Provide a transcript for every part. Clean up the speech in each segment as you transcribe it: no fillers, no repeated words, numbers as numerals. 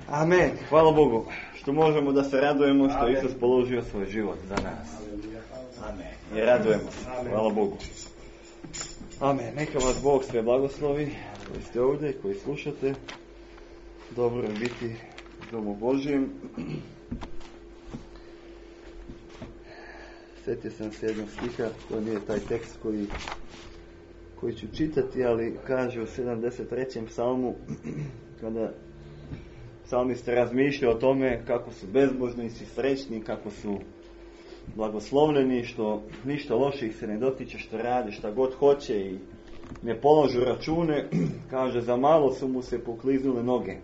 Amen. Hvala Bogu što možemo da se radujemo što je Isus položio svoj život za nas. Amen. I radujemo se. Hvala Bogu. Amen. Neka vas Bog sve blagoslovi koji ste ovdje i koji slušate. Dobro je biti u domu Božjem. Sjetio sam se jednog stiha, to nije taj tekst koji ću čitati, ali kaže u 73. psalmu, kada psalmist razmišlja o tome kako su bezbožnici srećni, kako su blagoslovljeni, što ništa loše ih se ne dotiče, što rade šta god hoće i ne položu račune, kaže za malo su mu se pokliznule noge.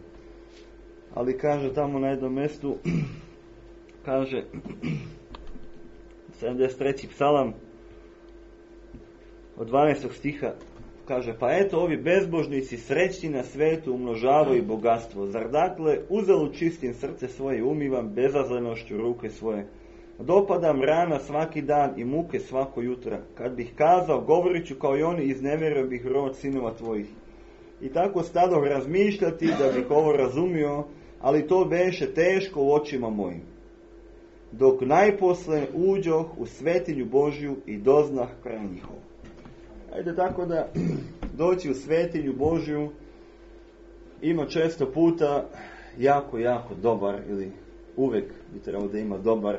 Ali kaže tamo na jednom mjestu, kaže 73. psalam od 12. stiha, kaže, pa eto ovi bezbožnici srećni na svetu umnožavaju bogatstvo. Zar dakle uzalud čistim srce svoje i umivam bezazlenošću ruke svoje? Dopadam rana svaki dan i muke svako jutra. Kad bih kazao, govorit ću kao i oni, iznevjerio bih rod sinova tvojih. I tako stadoh razmišljati da bih ovo razumio, ali to beše teško u očima mojim. Dok najposle uđoh u svetinju Božju i doznah kraj njihov. Ajde tako da doći u svetinju Božju ima često puta jako dobar, ili uvijek bi trebalo da ima dobar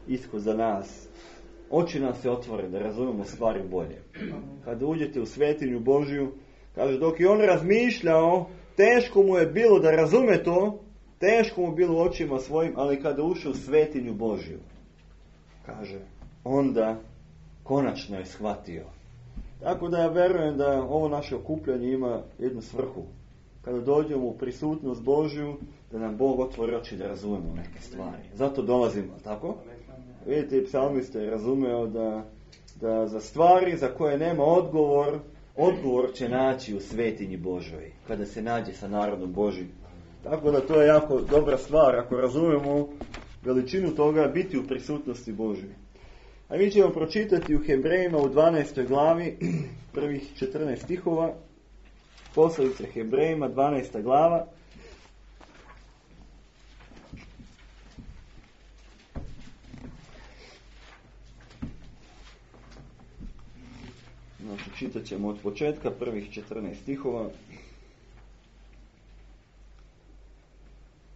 ishod za nas. Oči nam se otvore da razumemo stvari bolje. Kada uđete u svetinju Božju, kaže, dok je on razmišljao, teško mu je bilo da razume to, teško mu bilo u očima svojim, ali kada ušao u svetinju Božju, kaže, onda konačno je shvatio. Tako da ja verujem da ovo naše okupljanje ima jednu svrhu. Kada dođemo u prisutnost Božju, da nam Bog otvori oči da razumemo neke stvari. Zato dolazimo, tako? Vidite, i psalmist je razumeo da za stvari za koje nema odgovor će naći u svetinji Božoj, kada se nađe sa narodom Božjim. Tako da to je jako dobra stvar, ako razumemo veličinu toga, biti u prisutnosti Božoj. A mi ćemo pročitati u Hebrejima u 12. glavi, prvih 14 stihova, poslanice Hebrejima, 12. glava. Znači, čitat ćemo od početka, prvih 14 stihova.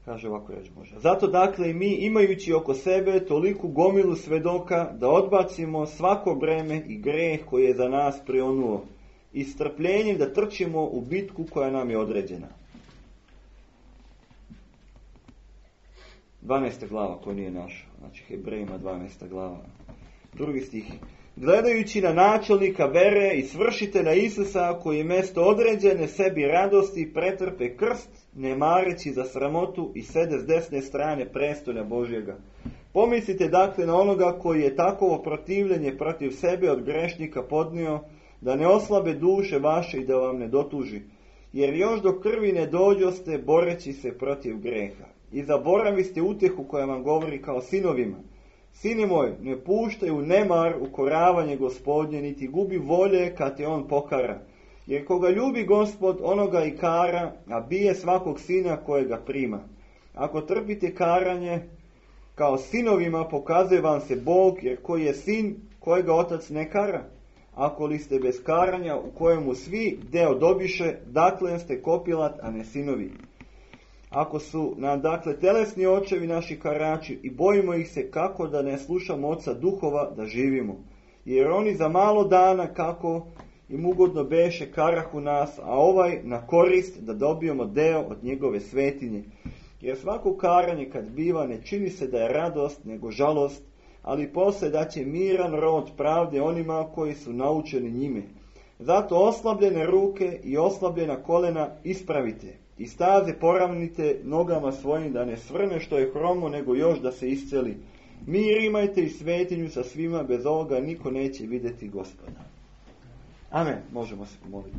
Kaže ovako reč Božja. Zato dakle i mi, imajući oko sebe toliku gomilu svedoka, da odbacimo svako breme i greh koji je za nas prionuo i strpljenjem da trčimo u bitku koja nam je određena. 12. glava koja nije naša, znači Hebrejima 12. glava. Drugi stih. Gledajući na načelnika vere i svršitelja Isusa, koji je mjesto određene sebi radosti pretrpe krst, ne mareći za sramotu i sede s desne strane prestolja Božjega. Pomislite dakle na onoga koji je takovo protivljenje protiv sebe od grešnika podnio, da ne oslabe duše vaše i da vam ne dotuži. Jer još do krvi ne dođoste boreći se protiv greha. I zaboraviste utjehu koja vam govori kao sinovima. Sine moj, ne puštaj u nemar ukoravanje Gospodnje, niti gubi volje kad te on pokara. Jer koga ljubi Gospod, onoga i kara, a bije svakog sina kojega prima. Ako trpite karanje, kao sinovima pokazuje vam se Bog, jer koji je sin, kojega otac ne kara. Ako li ste bez karanja, u kojemu svi deo dobiše, dakle ste kopilat, a ne sinovi. Ako su nam dakle telesni očevi naši karači i bojimo ih se kako da ne slušamo oca duhova da živimo. Jer oni za malo dana kako im ugodno beše karahu nas, a ovaj na korist da dobijemo deo od njegove svetinje. Jer svako karanje kad biva ne čini se da je radost nego žalost, ali poslije da će miran rod pravde onima koji su naučeni njime. Zato oslabljene ruke i oslabljena kolena ispravite. I staze poravnite nogama svojim da ne svrne što je hromo, nego još da se isceli. Mir imajte i svetinju sa svima, bez ovoga niko neće vidjeti Gospoda. Amen. Možemo se pomoliti.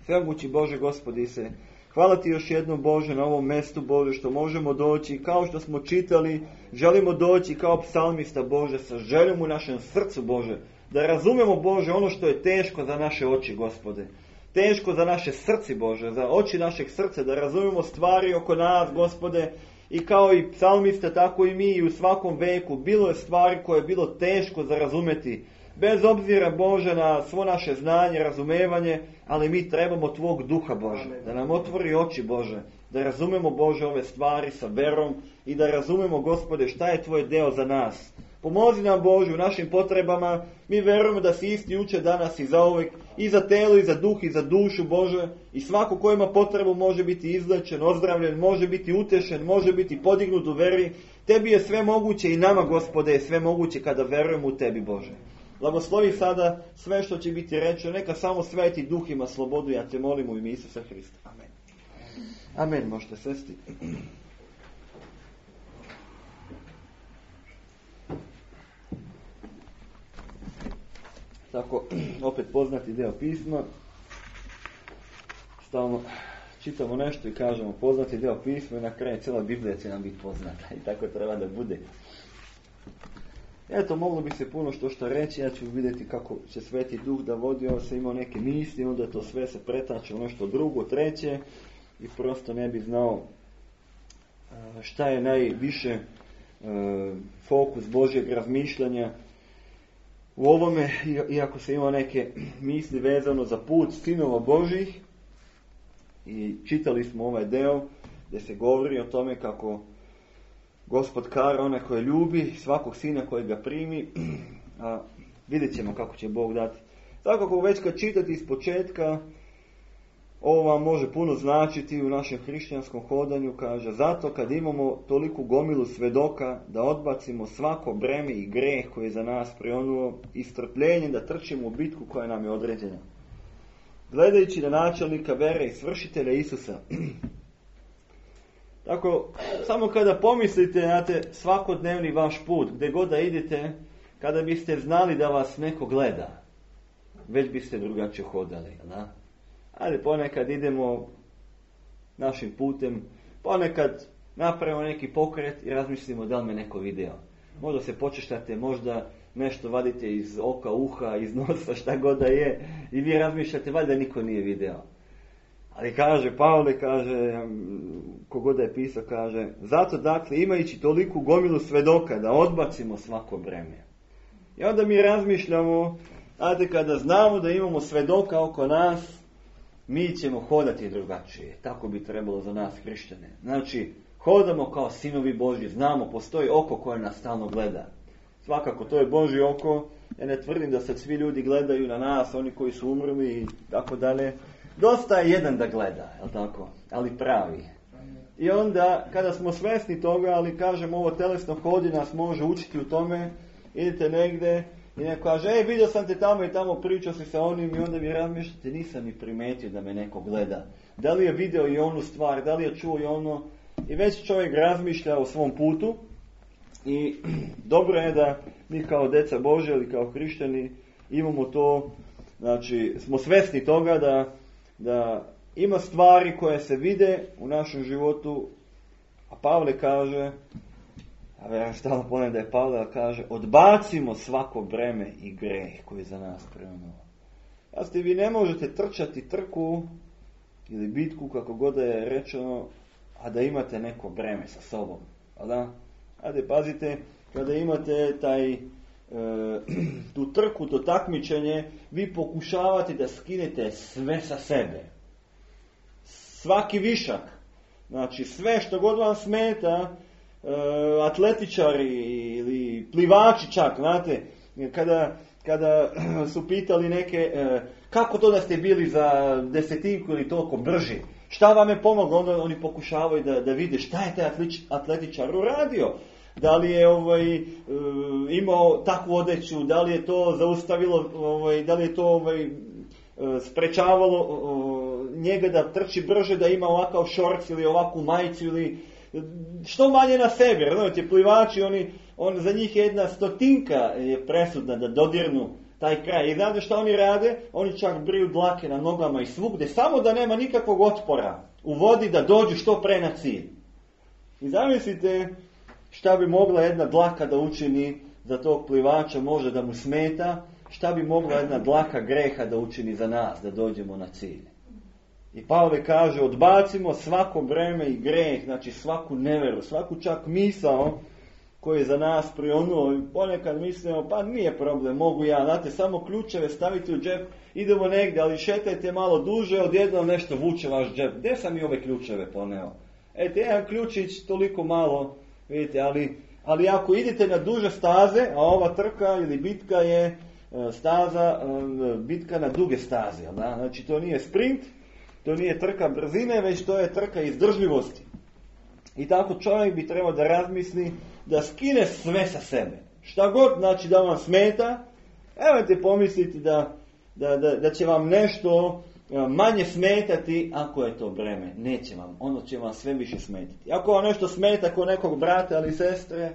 Svemogući Bože Gospodi se, hvala ti još jednom Bože na ovom mjestu Bože što možemo doći, kao što smo čitali, želimo doći kao psalmista Bože sa željom u našem srcu Bože, da razumemo Bože ono što je teško za naše oči Gospode. teško za naše srce, Bože, za oči našeg srca, da razumijemo stvari oko nas, Gospode, i kao i psalmista, tako i mi i u svakom veku. Bilo je stvari koje je bilo teško za razumjeti, bez obzira, Bože, na svo naše znanje, razumevanje, ali mi trebamo Tvog duha, Bože, da nam otvori oči, Bože, da razumemo, Bože, ove stvari sa verom i da razumemo, Gospode, šta je Tvoj deo za nas. Pomozi nam, Bože, u našim potrebama. Mi verujemo da si isti jučer, danas i zauvek, i za telo, i za duh, i za dušu, Bože. I svako ko ima potrebu može biti izlečen, ozdravljen, može biti utešen, može biti podignut u veri. Tebi je sve moguće i nama, Gospode, je sve moguće kada verujemo u Tebi, Bože. Blagoslovi sada sve što će biti rečeno. Neka samo Sveti Duh ima slobodu. Ja te molim u ime Isusa Hrista. Amen. Amen. Možete sesti. Tako, opet poznati deo pisma. Stalno čitamo nešto i kažemo poznati deo pisma i na kraju cijela Biblija će nam biti poznata. I tako treba da bude. Eto, moglo bi se puno što reći. Ja ću vidjeti kako će Sveti Duh da vodi. Ovo se imao neke misli, onda to sve se pretače u nešto drugo, treće. I prosto ne bi znao šta je najviše fokus Božjeg razmišljanja u ovome, iako se ima neke misli vezano za put sinova Božjih. I čitali smo ovaj deo gdje se govori o tome kako Gospod kara one koje ljubi, svakog sina koji ga primi, a vidjet ćemo kako će Bog dati. Tako ako već kad čitati iz početka, ovo vam može puno značiti u našem hrišćanskom hodanju, kaže, zato kad imamo toliku gomilu svedoka da odbacimo svako breme i greh koji je za nas prionuo i strpljenjem da trčimo u bitku koja nam je određena. Gledajući na načelnika vere i svršitelja Isusa. Tako, samo kada pomislite na svakodnevni vaš put, gdje god da idete, kada biste znali da vas neko gleda, već biste drugačije hodali, da? Ali ponekad idemo našim putem, ponekad napravimo neki pokret i razmislimo da li me neko video. Možda se počeštate, možda nešto vadite iz oka, uha, iz nosa, šta god da je, i vi razmišljate, valjda niko nije video. Ali kaže, Pavle kaže, kogod da je pisao, kaže, zato dakle imajući toliku gomilu svedoka da odbacimo svako breme. I onda mi razmišljamo, kada znamo da imamo svedoka oko nas, mi ćemo hodati drugačije. Tako bi trebalo za nas hrišćane. Znači, hodamo kao sinovi Božji, znamo, postoji oko koje nas stalno gleda. Svakako, to je Božje oko. Ja ne tvrdim da sad svi ljudi gledaju na nas, oni koji su umrli i tako dalje. Dosta je jedan da gleda, jel tako? Ali pravi. I onda, kada smo svjesni toga, ali kažem, ovo telesno hodi nas može učiti u tome, idete negdje i neko kaže, vidio sam te tamo i tamo, pričao si sa onim, i onda vi razmišljate, nisam ni primetio da me neko gleda. Da li je video i onu stvar, da li je čuo i ono, i već čovjek razmišlja o svom putu. I dobro je da mi kao djeca Božja ili kao hrišćani imamo to, znači smo svjesni toga da ima stvari koje se vide u našem životu, a Pavle kaže, a ja stalno ponavljam da je Pavle kaže, odbacimo svako breme i greh koji je za nas prionuo. Jasno, vi ne možete trčati trku ili bitku, kako god da je rečeno, a da imate neko breme sa sobom. Da? Ajde, pazite, kada imate tu trku, to takmičenje, vi pokušavate da skinete sve sa sebe. Svaki višak. Znači, sve što god vam smeta, atletičari ili plivači čak, znate, kada su pitali neke, kako to da ste bili za desetinku ili toliko brži, šta vam je pomoglo, onda oni pokušavaju da vide šta je taj atletičar uradio. Da li je imao takvu odeću, da li je to zaustavilo, da li je to sprečavalo njega da trči brže, da ima ovakav šorc ili ovakvu majicu ili što manje na sebe. Znate, plivači, za njih je 100 je presudna da dodirnu taj kraj. I znate šta oni rade? Oni čak briju dlake na nogama i svugde, samo da nema nikakvog otpora u vodi, da dođu što pre na cilj. I zamislite šta bi mogla jedna dlaka da učini za tog plivača, može da mu smeta, šta bi mogla jedna dlaka greha da učini za nas, da dođemo na cilj. I Pavle kaže, odbacimo svako breme i greh, znači svaku neveru, svaku čak misao koji je za nas prionuo. Ponekad mislimo, pa nije problem, mogu ja, znate, samo ključeve stavite u džep, idemo negdje, ali šetajte malo duže, odjednom nešto vuče vaš džep. Gdje sam i ove ključeve poneo? Eto, jedan ključić, toliko malo, vidite, ali ako idete na duže staze, a ova trka ili bitka je bitka na duge staze, da? Znači to nije sprint, to nije trka brzine, već to je trka izdržljivosti. I tako čovjek bi trebao da razmisli, da skine sve sa sebe. Šta god znači da vam smeta, nemojte pomisliti da će vam nešto manje smetati ako je to breme. Neće vam, ono će vam sve više smetati. Ako vam nešto smeta kod nekog brata ili sestre,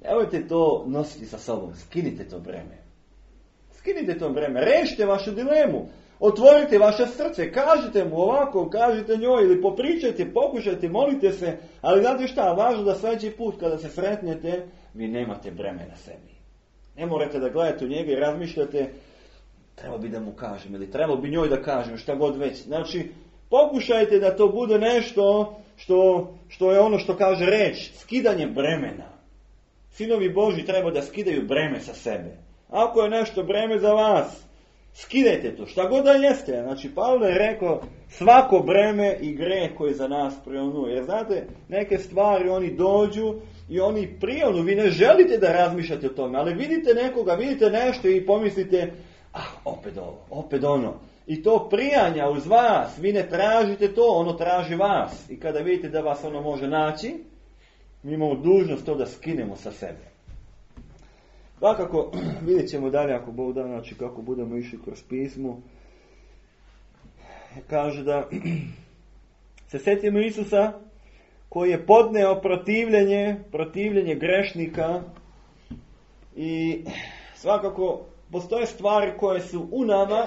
nemojte to nositi sa sobom, skinite to breme. Skinite to breme, rešite vašu dilemu. Otvorite vaše srce, kažite mu ovako, kažite njoj ili popričajte, pokušajte, molite se, ali znate šta, važno da sljedeći put kada se sretnete, vi nemate breme na sebi. Ne morate da gledate u njega i razmišljate, treba bi da mu kažem ili treba bi njoj da kažem, šta god već. Znači, pokušajte da to bude nešto što je ono što kaže reč, skidanje bremena. Sinovi Božji treba da skidaju breme sa sebe. Ako je nešto breme za vas, skidajte to, šta god da jeste. Znači, Pavle je rekao, svako breme i greh koji za nas prionuje. Jer znate, neke stvari oni dođu i oni prionu. Vi ne želite da razmišljate o tome, ali vidite nekoga, vidite nešto i pomislite, opet ovo, opet ono. I to prijanja uz vas, vi ne tražite to, ono traži vas. I kada vidite da vas ono može naći, mi imamo dužnost to da skinemo sa sebe. Dakako, vidjet ćemo dalje ako Bog da, znači kako budemo išli kroz pismo. Kaže da se sjetimo Isusa koji je podneo protivljenje grešnika i svakako postoje stvari koje su u nama,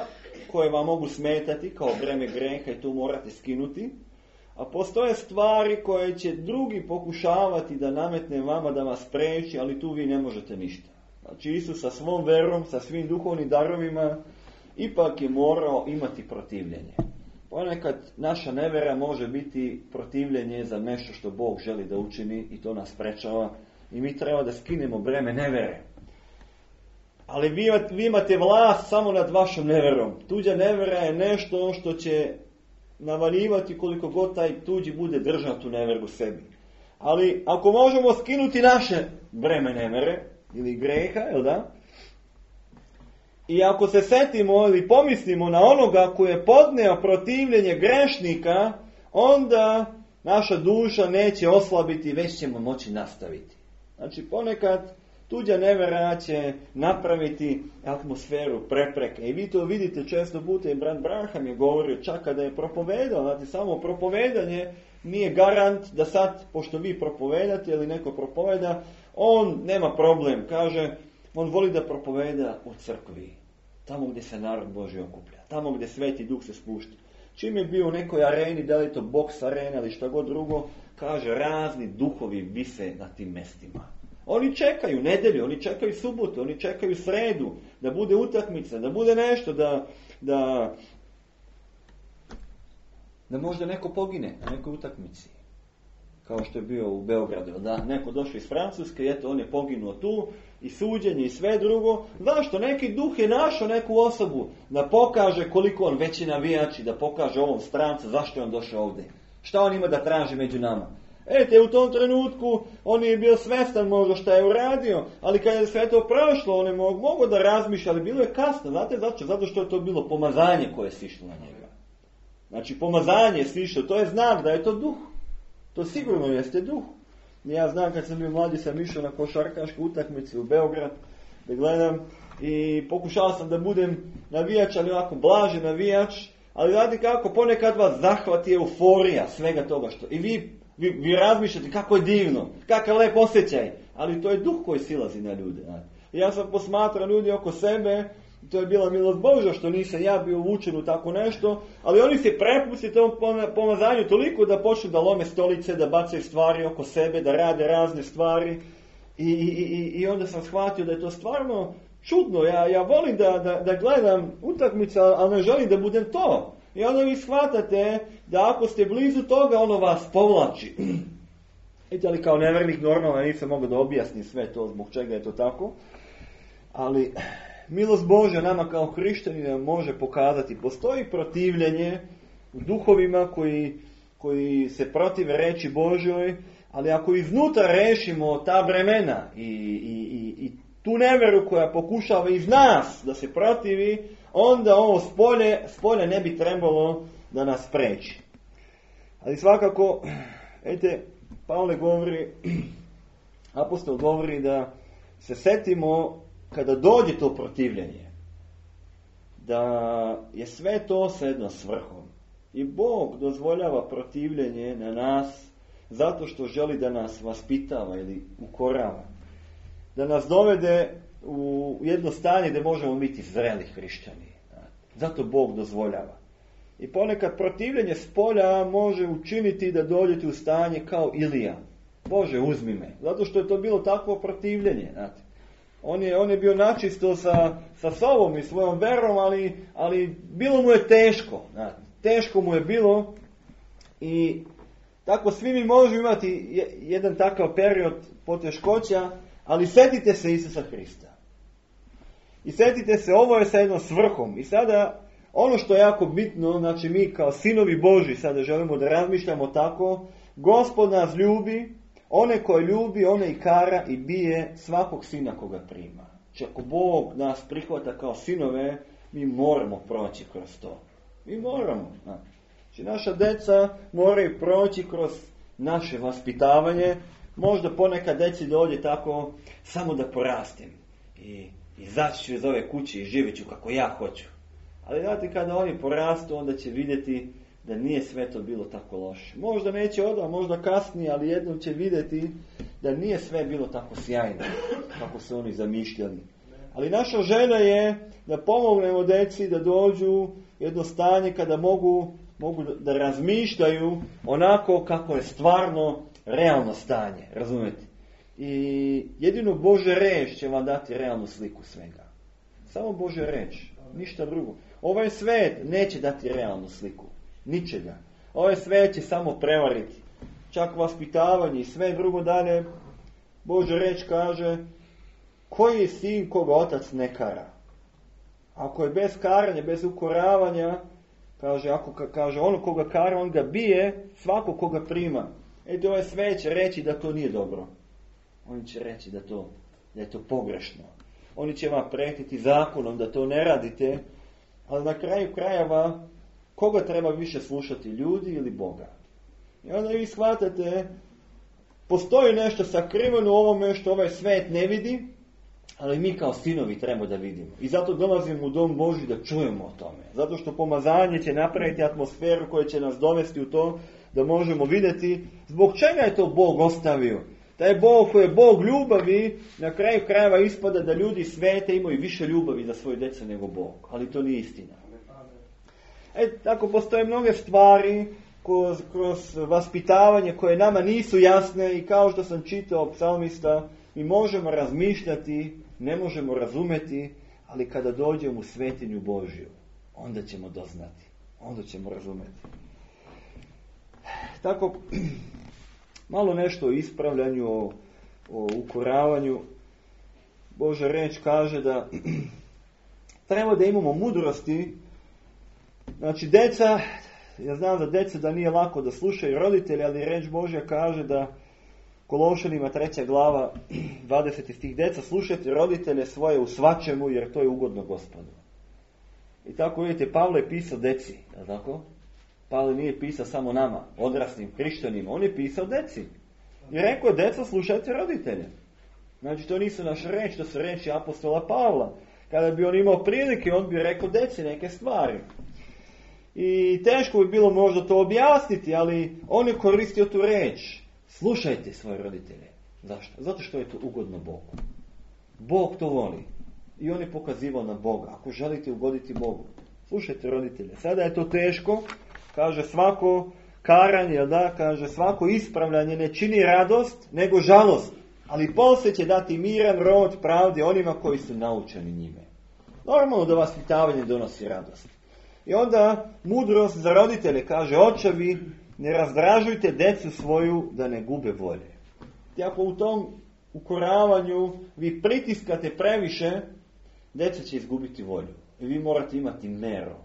koje vam mogu smetati kao breme greha i tu morate skinuti, a postoje stvari koje će drugi pokušavati da nametne vama da vas spreči, ali tu vi ne možete ništa. Znači Isus sa svom verom, sa svim duhovnim darovima, ipak je morao imati protivljenje. Ponekad naša nevera može biti protivljenje za nešto što Bog želi da učini i to nas sprečava. I mi treba da skinemo breme nevere. Ali vi imate vlast samo nad vašom neverom. Tuđa nevera je nešto što će navaljivati koliko god taj tuđi bude držao tu neveru sebi. Ali ako možemo skinuti naše breme nevere, ili greha, jel da? I ako se setimo ili pomislimo na onoga koji je podneo protivljenje grešnika, onda naša duša neće oslabiti, već ćemo moći nastaviti. Znači ponekad tuđa nevera će napraviti atmosferu prepreke. I vi to vidite često puta, i brat Braham je govorio čak kada je propovedao, znači samo propovedanje nije garant da sad, pošto vi propovedate ili neko propoveda, on nema problem, kaže, on voli da propoveda u crkvi, tamo gdje se narod Božji okuplja, tamo gdje Sveti Duh se spušta. Čim je bio u nekoj areni, da li to boks arena ili šta god drugo, kaže, razni duhovi vise na tim mestima. Oni čekaju nedjelju, oni čekaju subotu, oni čekaju sredu, da bude utakmica, da bude nešto, da možda neko pogine na nekoj utakmici. Kao što je bio u Beogradu, da neko došao iz Francuske, eto on je poginuo tu, i suđenje i sve drugo. Zašto? Neki duh je našao neku osobu da pokaže koliko on veći navijač i da pokaže ovom strancu zašto je on došao ovdje. Šta on ima da traži među nama? U tom trenutku on je bio svestan možda šta je uradio, ali kada je sve to prošlo, on je mogao da razmišlja, ali bilo je kasno. Znate zašto? Zato što je to bilo pomazanje koje je sišlo na njega. Znači pomazanje je sišlo, to je znak da je to duh. To sigurno jeste duh. Ja znam kad sam bio mladi, sam išao na košarkašku utakmicu u Beograd da gledam i pokušao sam da budem navijač, ali ovako blaži navijač, ali znate kako, ponekad vas zahvati euforija svega toga što. I vi razmišljate kako je divno, kakav lep osjećaj, ali to je duh koji silazi na ljude. Ja sam posmatrao ljudi oko sebe, to je bila milost Božja što nisam ja bio uvučen u tako nešto, ali oni se prepusti tom pomazanju toliko da počnu da lome stolice, da bacaju stvari oko sebe, da rade razne stvari i onda sam shvatio da je to stvarno čudno, ja volim da gledam utakmice, ali ne želim da budem to. I onda vi shvatate da ako ste blizu toga, ono vas povlači. Vidite, ali kao nevjernik normalno nisam mogao da objasnim sve to, zbog čega je to tako. Ali milost Božja nama kao hrišćanima može pokazati. Postoji protivljenje u duhovima koji se protive reči Božjoj, ali ako iznutra rešimo ta vremena i tu neveru koja pokušava iz nas da se protivi, onda ovo spolje ne bi trebalo da nas spreči. Ali svakako, vidite, Pavle govori, apostol govori da se setimo kada dođe to protivljenje, da je sve to sa jednom svrhom. I Bog dozvoljava protivljenje na nas zato što želi da nas vaspitava ili ukorava. Da nas dovede u jedno stanje gdje možemo biti zreli hrišćani. Zato Bog dozvoljava. I ponekad protivljenje spolja može učiniti da dođete u stanje kao Ilija. Bože, uzmi me. Zato što je to bilo takvo protivljenje. Znate. On je bio načisto sa sobom i svojom verom, ali bilo mu je teško. Znate. Teško mu je bilo i tako svi mi možemo imati jedan takav period poteškoća, ali setite se Isusa Hrista. I setite se, ovo je sa jednom svrhom. I sada, ono što je jako bitno, znači mi kao sinovi Božji sada želimo da razmišljamo tako, Gospod nas ljubi, one koje ljubi, one i kara i bije svakog sina koga prima. Znači ako Bog nas prihvata kao sinove, mi moramo proći kroz to. Mi moramo. Znači naša deca moraju proći kroz naše vaspitavanje. Možda ponekad deci dođe tako samo da porastim i izaći ću iz ove kuće i živjet ću kako ja hoću. Ali znate, kada oni porastu, onda će vidjeti da nije sve to bilo tako loše. Možda neće odmah, možda kasnije, ali jednom će vidjeti da nije sve bilo tako sjajno kako su oni zamišljali. Ali naša želja je da pomognemo deci da dođu u jedno stanje kada mogu da razmišljaju onako kako je stvarno realno stanje. Razumete? I jedino Božja reč će vam dati realnu sliku svega. Samo Božja reč, ništa drugo. Ovaj svet neće dati realnu sliku. Ničega. Ovaj svet će samo prevariti. Čak vaspitavanje i sve drugo dalje. Božja reč kaže, koji je sin koga otac ne kara? Ako je bez karanja, bez ukoravanja, kaže ono koga kara, on ga bije, svako koga prima. Ovaj svet će reći da to nije dobro. Oni će reći da je to pogrešno. Oni će vam pretiti zakonom da to ne radite, ali na kraju krajeva koga treba više slušati, ljudi ili Boga? I onda vi shvatate, postoji nešto sakriveno u ovome što ovaj svet ne vidi, ali mi kao sinovi treba da vidimo. I zato dolazimo u dom Božji da čujemo o tome. Zato što pomazanje će napraviti atmosferu koja će nas dovesti u to da možemo vidjeti zbog čega je to Bog ostavio. Taj Bog koji je Bog ljubavi, na kraju krajeva ispada da ljudi svete imaju više ljubavi za svoje djecu nego Bog. Ali to nije istina. Tako postoje mnoge stvari kroz vaspitavanje koje nama nisu jasne i kao što sam čitao psalmista, mi možemo razmišljati, ne možemo razumeti, ali kada dođemo u svetinju Božju, onda ćemo doznati, onda ćemo razumeti. Tako, malo nešto o ispravljanju, o ukoravanju. Božja reč kaže da treba da imamo mudrosti. Znači, deca, ja znam za deca da nije lako da slušaju roditelji, ali reč Božja kaže da Kološanima 3. glava 20. stih, deca, slušajte roditelje svoje u svačemu, jer to je ugodno Gospodu. I tako vidite, Pavle je pisao deci, je tako? Pavle nije pisao samo nama, odraslim hrišćanima, on je pisao deci. I rekao je, deca, slušajte roditelje. Znači, to nisu naše reči, to su reči apostola Pavla. Kada bi on imao prilike, on bi rekao deci neke stvari. I teško bi bilo možda to objasniti, ali on je koristio tu reč. Slušajte svoje roditelje. Zašto? Zato što je to ugodno Bogu. Bog to voli. I on je pokazivao na Boga. Ako želite ugoditi Bogu, slušajte roditelje. Sada je to teško. Kaže, svako karanje, kaže, svako ispravljanje ne čini radost, nego žalost. Ali poslije će dati miran rod pravde onima koji su naučeni njime. Normalno da vaspitavanje donosi radost. I onda mudrost za roditelje kaže, očevi, ne razdražujte decu svoju da ne gube volje. I ako u tom ukoravanju vi pritiskate previše, djeca će izgubiti volju. I vi morate imati meru.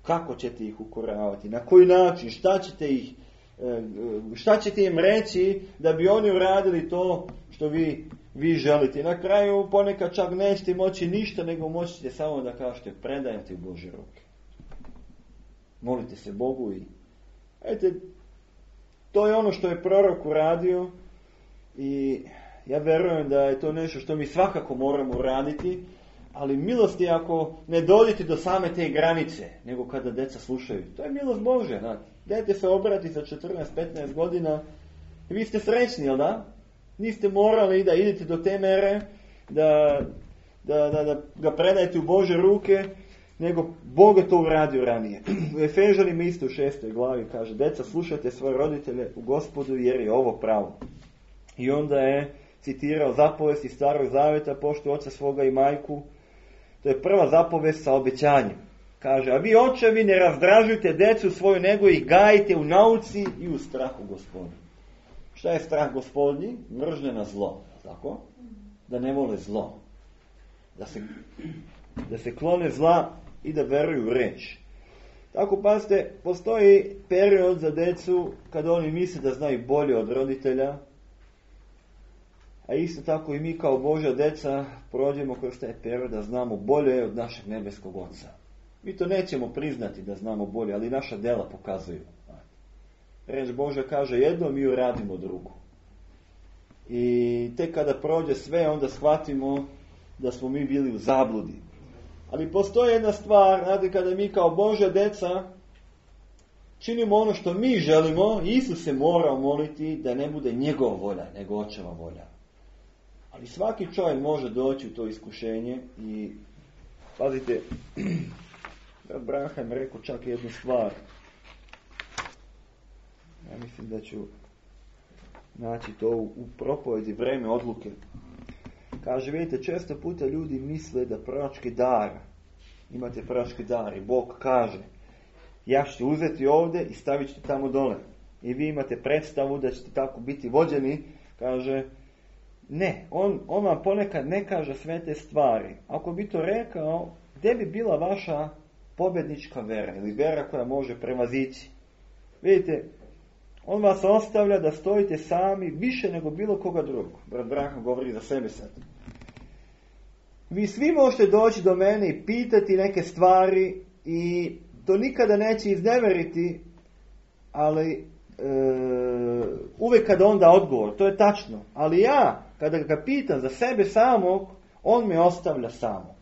Kako ćete ih ukoravati? Na koji način? Šta ćete im reći da bi oni uradili to što vi želite? I na kraju ponekad čak nećete moći ništa, nego moćete samo da kažete predajem ti u Božje ruke. Molite se Bogu i to je ono što je prorok uradio i ja vjerujem da je to nešto što mi svakako moramo uraditi, ali milost je ako ne dođete do same te granice, nego kada djeca slušaju. To je milost Božja. Znate. Dete se obrati sa 14-15 godina i vi ste srećni, jel da? Niste morali da idete do te mere da ga predajete u Božje ruke, nego Bog je to uradio ranije. U Efežanima isto u 6. glavi kaže, deca slušajte svoje roditelje u Gospodu jer je ovo pravo. I onda je citirao zapovest iz Starog zaveta, poštuj oca svoga i majku. To je prva zapovest sa obećanjem. Kaže, a vi očevi ne razdražujte decu svoju, nego ih gajite u nauci i u strahu Gospodnju. Šta je strah Gospodnji? Mržnja na zlo. Tako? Da ne vole zlo. Da se klone zla i da veruju u reč. Tako pazite, postoji period za decu kada oni misle da znaju bolje od roditelja, a isto tako i mi kao Božja deca prođemo kroz taj period da znamo bolje od našeg nebeskog Oca. Mi to nećemo priznati da znamo bolje, ali naša djela pokazuju. Reč Božja kaže jedno, mi uradimo drugo. I tek kada prođe sve, onda shvatimo da smo mi bili u zabludi. Ali postoji jedna stvar, znate, kada mi kao Božja deca činimo ono što mi želimo, Isus se mora moliti da ne bude njegova volja, nego Očeva volja. Ali svaki čovjek može doći u to iskušenje i pazite, Abraham rekao čak jednu stvar. Ja mislim da ću naći to u propovedi Vreme odluke. Kaže, vidite, često puta ljudi misle da proročki dar, imate proročki dar i Bog kaže, ja ću uzeti ovdje i stavit ćete tamo dole. I vi imate predstavu da ćete tako biti vođeni, kaže, ne, on vam ponekad ne kaže sve te stvari. Ako bi to rekao, gdje bi bila vaša pobjednička vera ili vera koja može prevazići? Vidite, on vas ostavlja da stojite sami više nego bilo koga drugog. Brat Branham govori za sebe sad. Vi svi možete doći do mene i pitati neke stvari i to nikada neće izneveriti, ali uvijek kada onda odgovor, to je tačno. Ali ja, kada ga pitam za sebe samog, on me ostavlja samog.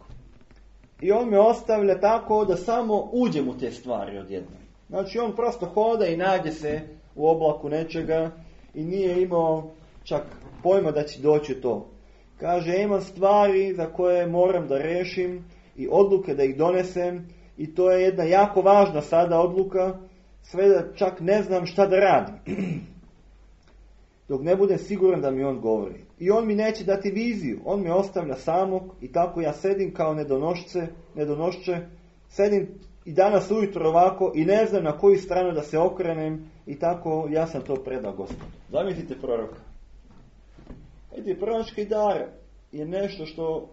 I on me ostavlja tako da samo uđem u te stvari odjednom. Znači on prosto hoda i nađe se u oblaku nečega i nije imao čak pojma da će doći to. Kaže, imam stvari za koje moram da rešim i odluke da ih donesem i to je jedna jako važna sada odluka, sve da čak ne znam šta da radim. Dok ne budem siguran da mi on govori. I on mi neće dati viziju, on me ostavlja samog i tako ja sedim kao nedonošće, sedim i danas ujutro ovako i ne znam na koju stranu da se okrenem i tako ja sam to predao Gospodu. Zamislite proroka. Proročki dar je nešto što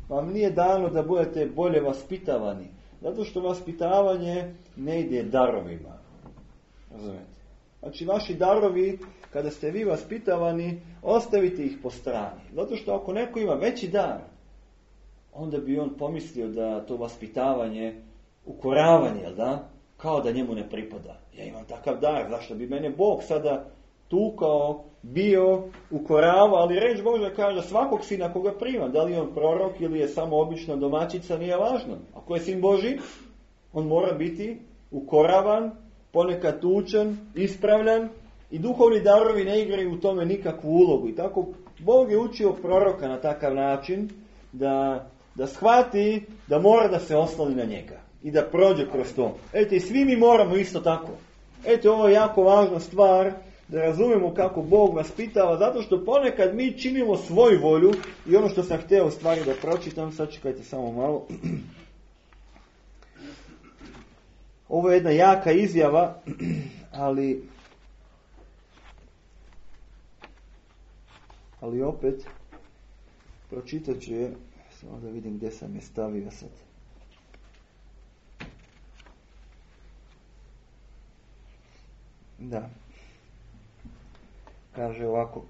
vam nije dano da budete bolje vaspitavani. Zato što vaspitavanje ne ide darovima. Razumete? Znači vaši darovi, kada ste vi vaspitavani, ostavite ih po strani. Zato što ako neko ima veći dar, onda bi on pomislio da to vaspitavanje, ukoravanje, da? Kao da njemu ne pripada. Ja imam takav dar, zašto bi mene Bog sada tukao, bio, ukorava, ali reč Božja kaže svakog sina koga prima, da li je on prorok ili je samo obična domaćica, nije važno. Ako je sin Božji, on mora biti ukoravan, ponekad tučen, ispravljan i duhovni darovi ne igraju u tome nikakvu ulogu. I tako Bog je učio proroka na takav način da shvati da mora da se osloni na njega i da prođe kroz to. I svi mi moramo isto tako. Ovo je jako važna stvar, da razumemo kako Bog nas pitava, zato što ponekad mi činimo svoju volju i ono što sam htio u stvari da pročitam, sad čekajte samo malo. Ovo je jedna jaka izjava, ali opet pročitat ću je, samo da vidim gdje sam je stavio sad. Da. Kaže ovako.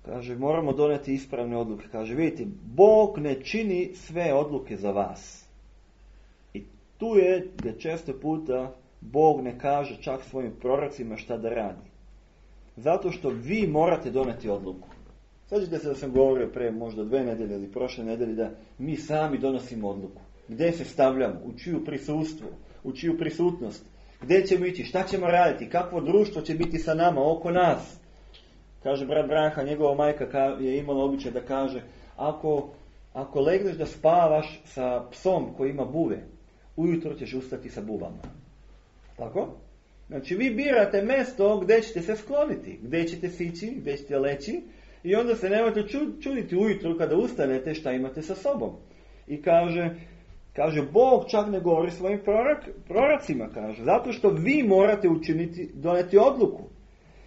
Kaže, moramo donijeti ispravne odluke. Kaže, vidite, Bog ne čini sve odluke za vas. I tu je gdje često puta Bog ne kaže čak svojim prorocima šta da radi. Zato što vi morate donijeti odluku. Sjećate se da sam govorio pre možda 2 nedelje ili prošle nedelje da mi sami donosimo odluku. Gdje se stavljamo, u čiju prisustvo, u čiju prisutnost, gdje ćemo ići, šta ćemo raditi, kakvo društvo će biti sa nama, oko nas. Kaže brat Branha, njegova majka je imala običaj da kaže, ako legneš da spavaš sa psom koji ima buve, ujutro ćeš ustati sa buvama. Tako? Znači vi birate mjesto gdje ćete se skloniti, gdje ćete sići, gdje ćete leći i onda se nemojte čuditi ujutro kada ustanete šta imate sa sobom. I kaže Bog čak ne govori svojim prorocima, kaže, zato što vi morate donijeti odluku.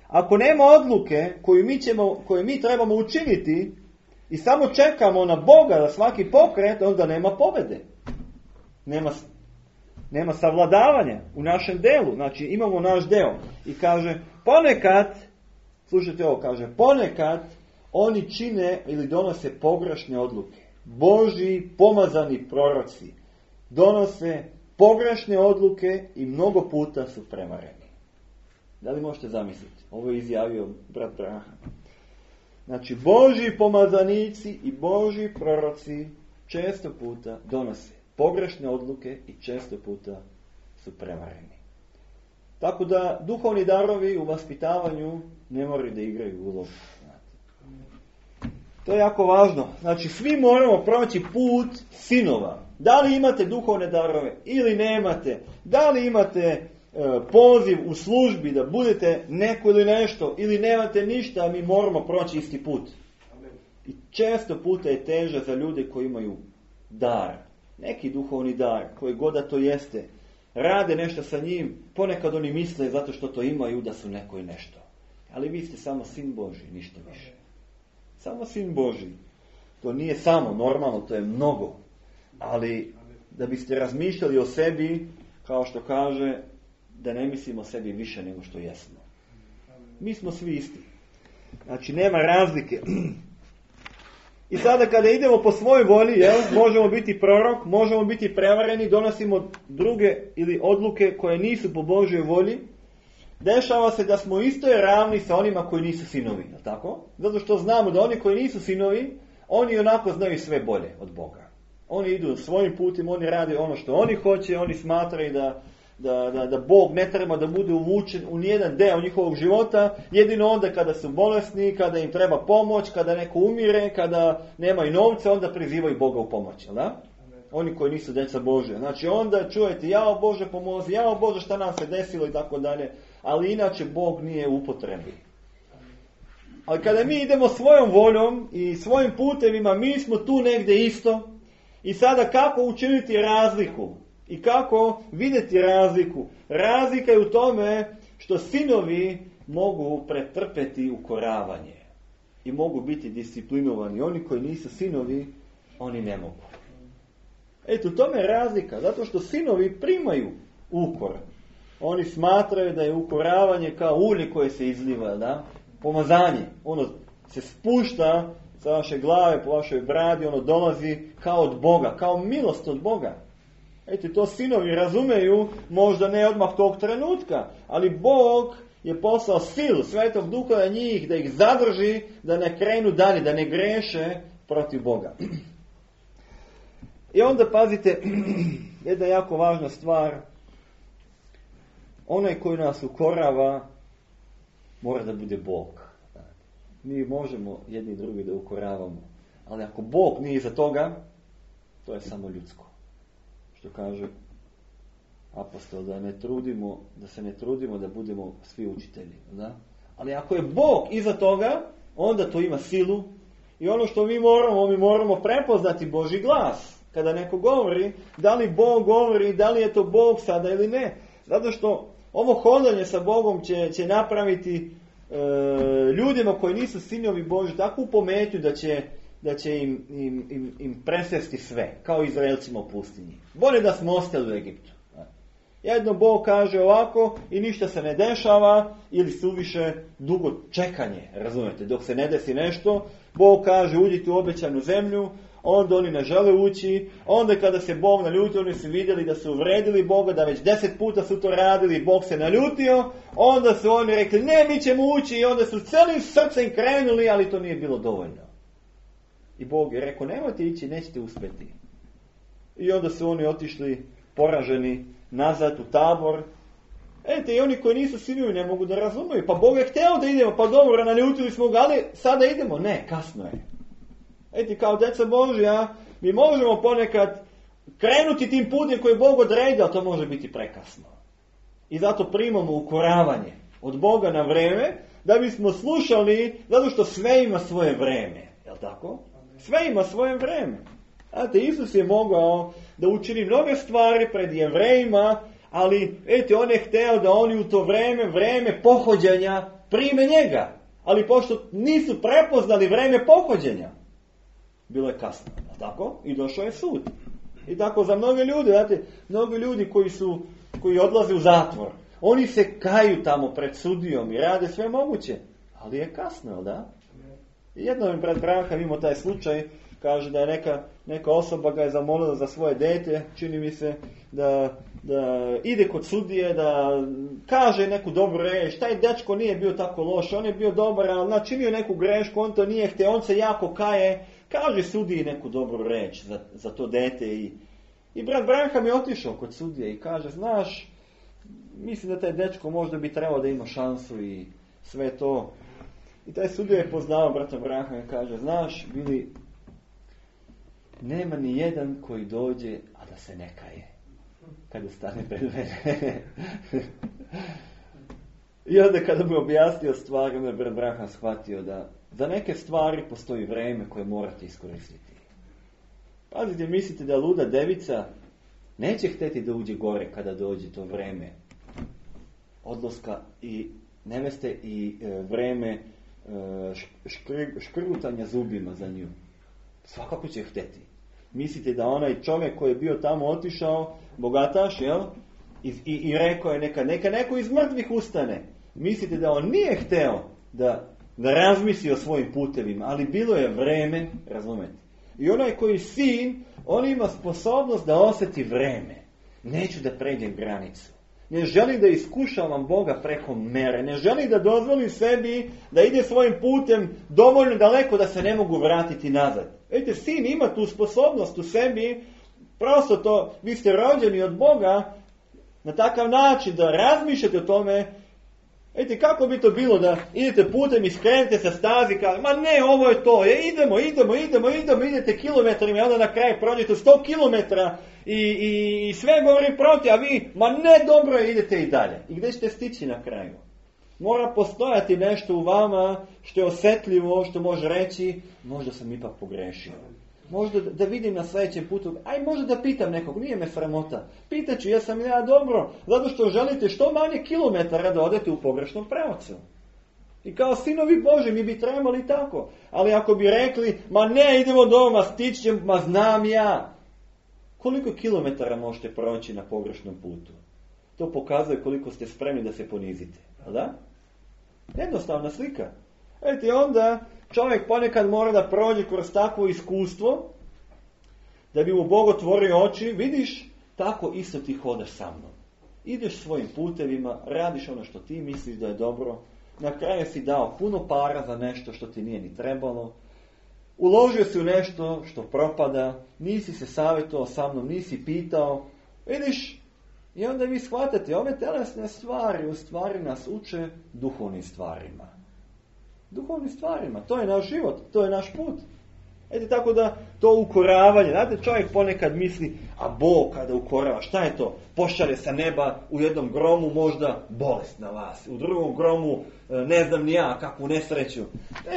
Ako nema odluke koju mi trebamo učiniti i samo čekamo na Boga da svaki pokret, onda nema pobjede. Nema savladavanja u našem delu. Znači imamo naš deo. I kaže, ponekad, slušajte ovo, kaže, ponekad oni čine ili donose pogrešne odluke. Božji pomazani proroci donose pogrešne odluke i mnogo puta su prevareni. Da li možete zamisliti? Ovo je izjavio brat Braha. Znači, Božji pomazanici i Božji proroci često puta donose pogrešne odluke i često puta su prevareni. Tako da duhovni darovi u vaspitavanju ne moraju da igraju ulogu. To je jako važno. Znači, svi moramo proći put sinova. Da li imate duhovne darove ili nemate? Da li imate poziv u službi da budete neko ili nešto ili nemate ništa, mi moramo proći isti put. I često puta je teže za ljude koji imaju dar. Neki duhovni dar, koji god da to jeste. Rade nešto sa njim, ponekad oni misle zato što to imaju da su neko i nešto. Ali vi ste samo sin Božji, ništa više. Samo sin Božji. To nije samo, normalno, to je mnogo. Ali da biste razmišljali o sebi, kao što kaže, da ne mislimo o sebi više nego što jesmo. Mi smo svi isti. Znači, nema razlike. I sada kada idemo po svojoj volji, možemo biti prorok, možemo biti prevareni, donosimo druge ili odluke koje nisu po Božjoj volji. Dešava se da smo isto ravni sa onima koji nisu sinovi, je li tako? Zato što znamo da oni koji nisu sinovi, oni onako znaju sve bolje od Boga. Oni idu svojim putem, oni rade ono što oni hoće, oni smatraju da Bog ne treba da bude uvučen u nijedan deo njihovog života, jedino onda kada su bolesni, kada im treba pomoć, kada neko umire, kada nemaju novca, onda prizivaju Boga u pomoć, jel da? Oni koji nisu djeca Božja. Znači onda čujete, jao Bože pomozi, jao Bože šta nam se desilo i tako dalje, ali inače Bog nije u upotrebi. Ali kada mi idemo svojom voljom i svojim putevima, mi smo tu negdje isto. I sada kako učiniti razliku? I kako vidjeti razliku? Razlika je u tome što sinovi mogu pretrpeti ukoravanje. I mogu biti disciplinovani. Oni koji nisu sinovi, oni ne mogu. Eto, u tome je razlika. Zato što sinovi primaju ukor. Oni smatraju da je ukoravanje kao ulje koje se izliva, da? Pomazanje. Ono se spušta sa vaše glave, po vašoj bradi, ono dolazi kao od Boga, kao milost od Boga. Eto, to sinovi razumeju, možda ne odmah tog trenutka, ali Bog je poslao silu Svetog Duha na njih, da ih zadrži, da ne krenu dalje, da ne greše protiv Boga. I onda pazite, jedna jako važna stvar, onaj koji nas ukorava mora da bude Bog. Mi možemo jedni drugi da ukoravamo, ali ako Bog nije iza toga, to je samo ljudsko. Što kaže apostol, da se ne trudimo da budemo svi učitelji. Da? Ali ako je Bog iza toga, onda to ima silu. I ono što mi moramo prepoznati Božji glas. Kada neko govori, da li Bog govori, da li je to Bog sada ili ne. Zato što ovo hodanje sa Bogom će napraviti ljudima koji nisu sinovi Božji takvu pometnju da će im presesti sve, kao Izraelcima u pustinji. Bolje da smo ostali u Egiptu. Jedno Bog kaže ovako i ništa se ne dešava, ili suviše dugo čekanje, razumete, dok se ne desi nešto, Bog kaže uđite u obećanu zemlju, onda oni ne žele ući, onda kada se Bog naljutio, oni su vidjeli da su uvredili Boga, da već 10 puta su to radili, Bog se naljutio, onda su oni rekli ne, mi ćemo ući, i onda su celim srcem krenuli, ali to nije bilo dovoljno. I Bog je rekao, nemojte ići, nećete uspjeti. I onda su oni otišli poraženi nazad u tabor. I oni koji nisu sinovi ne mogu da razumiju. Pa Bog je htio da idemo, pa dobro, naljutili smo ga, ali sada idemo. Ne, kasno je. Kao djeca Božja, mi možemo ponekad krenuti tim putem koji je Bog odredio, ali to može biti prekasno. I zato primamo ukoravanje od Boga na vreme, da bismo slušali, zato što sve ima svoje vreme. Jel' tako? Sve ima svoje vreme. Znate, Isus je mogao da učini mnoge stvari pred Jevrejima, ali on je hteo da oni u to vreme pohođenja prime njega. Ali pošto nisu prepoznali vreme pohođenja, bilo je kasno, tako? I došao je sud. I tako za mnoge ljude, znate, mnogi ljudi koji odlaze u zatvor, oni se kaju tamo pred sudijom i rade sve moguće, ali je kasno, da? I jednom je brat Branham imao taj slučaj, kaže da je neka osoba ga je zamolila za svoje dete, čini mi se, da ide kod sudije, da kaže neku dobru reč. Taj dečko nije bio tako loš, on je bio dobar, ali načinio neku grešku, on to nije htio, on se jako kaje, kaže sudiji neku dobru reč za to dete. I brat Branham je otišao kod sudije i kaže, znaš, mislim da taj dečko možda bi trebao da ima šansu i sve to. I taj sudija je poznao brata Branhama i kaže, znaš, Bili, nema ni jedan koji dođe, a da se ne kaje kada stane pred mene. I onda kada mu je objasnio stvari, onda je brat Branham shvatio da za neke stvari postoji vreme koje morate iskoristiti. Pazite, mislite da luda devica neće hteti da uđe gore kada dođe to vreme odlaska i neveste i vreme škrgutanja zubima za nju. Svakako će hteti. Mislite da onaj čovjek koji je bio tamo otišao, bogataš, jel? I rekao je neka neko iz mrtvih ustane. Mislite da on nije hteo da razmisli o svojim putevima, ali bilo je vreme, razumete. I onaj koji sin, on ima sposobnost da osjeti vreme. Neću da pređem granicu. Ne želim da iskušavam Boga preko mere. Ne želim da dozvolim sebi da ide svojim putem dovoljno daleko da se ne mogu vratiti nazad. Vidite, sin ima tu sposobnost u sebi, prosto to, vi ste rođeni od Boga na takav način da razmišljate o tome. Vidite, kako bi to bilo da idete putem i skrenete sa stazi, kaže, ma ne, ovo je to, idemo, idete kilometrima i onda na kraju prođete 100 kilometra i sve govori protiv, a vi, ma ne, dobro je, idete i dalje. I gdje ćete stići na kraju? Mora postojati nešto u vama što je osjetljivo, što može reći, možda sam ipak pogrešio. Možda da vidim na sljedećem putu, možda da pitam nekog, nije me sramota. Pitaću, jesam ja dobro, zato što želite što manje kilometara da odete u pogrešnom pravcu. I kao sinovi Boži mi bi trebali tako. Ali ako bi rekli, ma ne, idemo doma, stići ćemo, ma znam ja. Koliko kilometara možete proći na pogrešnom putu? To pokazuje koliko ste spremni da se ponizite. Da? Jednostavna slika. Vidite, onda čovjek ponekad mora da prođe kroz takvo iskustvo, da bi mu Bog otvorio oči. Vidiš, tako isto ti hodaš sa mnom. Ideš svojim putevima, radiš ono što ti misliš da je dobro. Na kraju si dao puno para za nešto što ti nije ni trebalo. Uložio si u nešto što propada, nisi se savjetovao sa mnom, nisi pitao. Vidiš, i onda vi shvatate, ove telesne stvari u stvari nas uče duhovnim stvarima. Duhovnim stvarima, to je naš život, to je naš put. Eto tako da to ukoravanje, znate, čovjek ponekad misli, a Bog kada ukorava, šta je to? Pošalje sa neba u jednom gromu možda bolest na vas, u drugom gromu ne znam ni ja kakvu nesreću.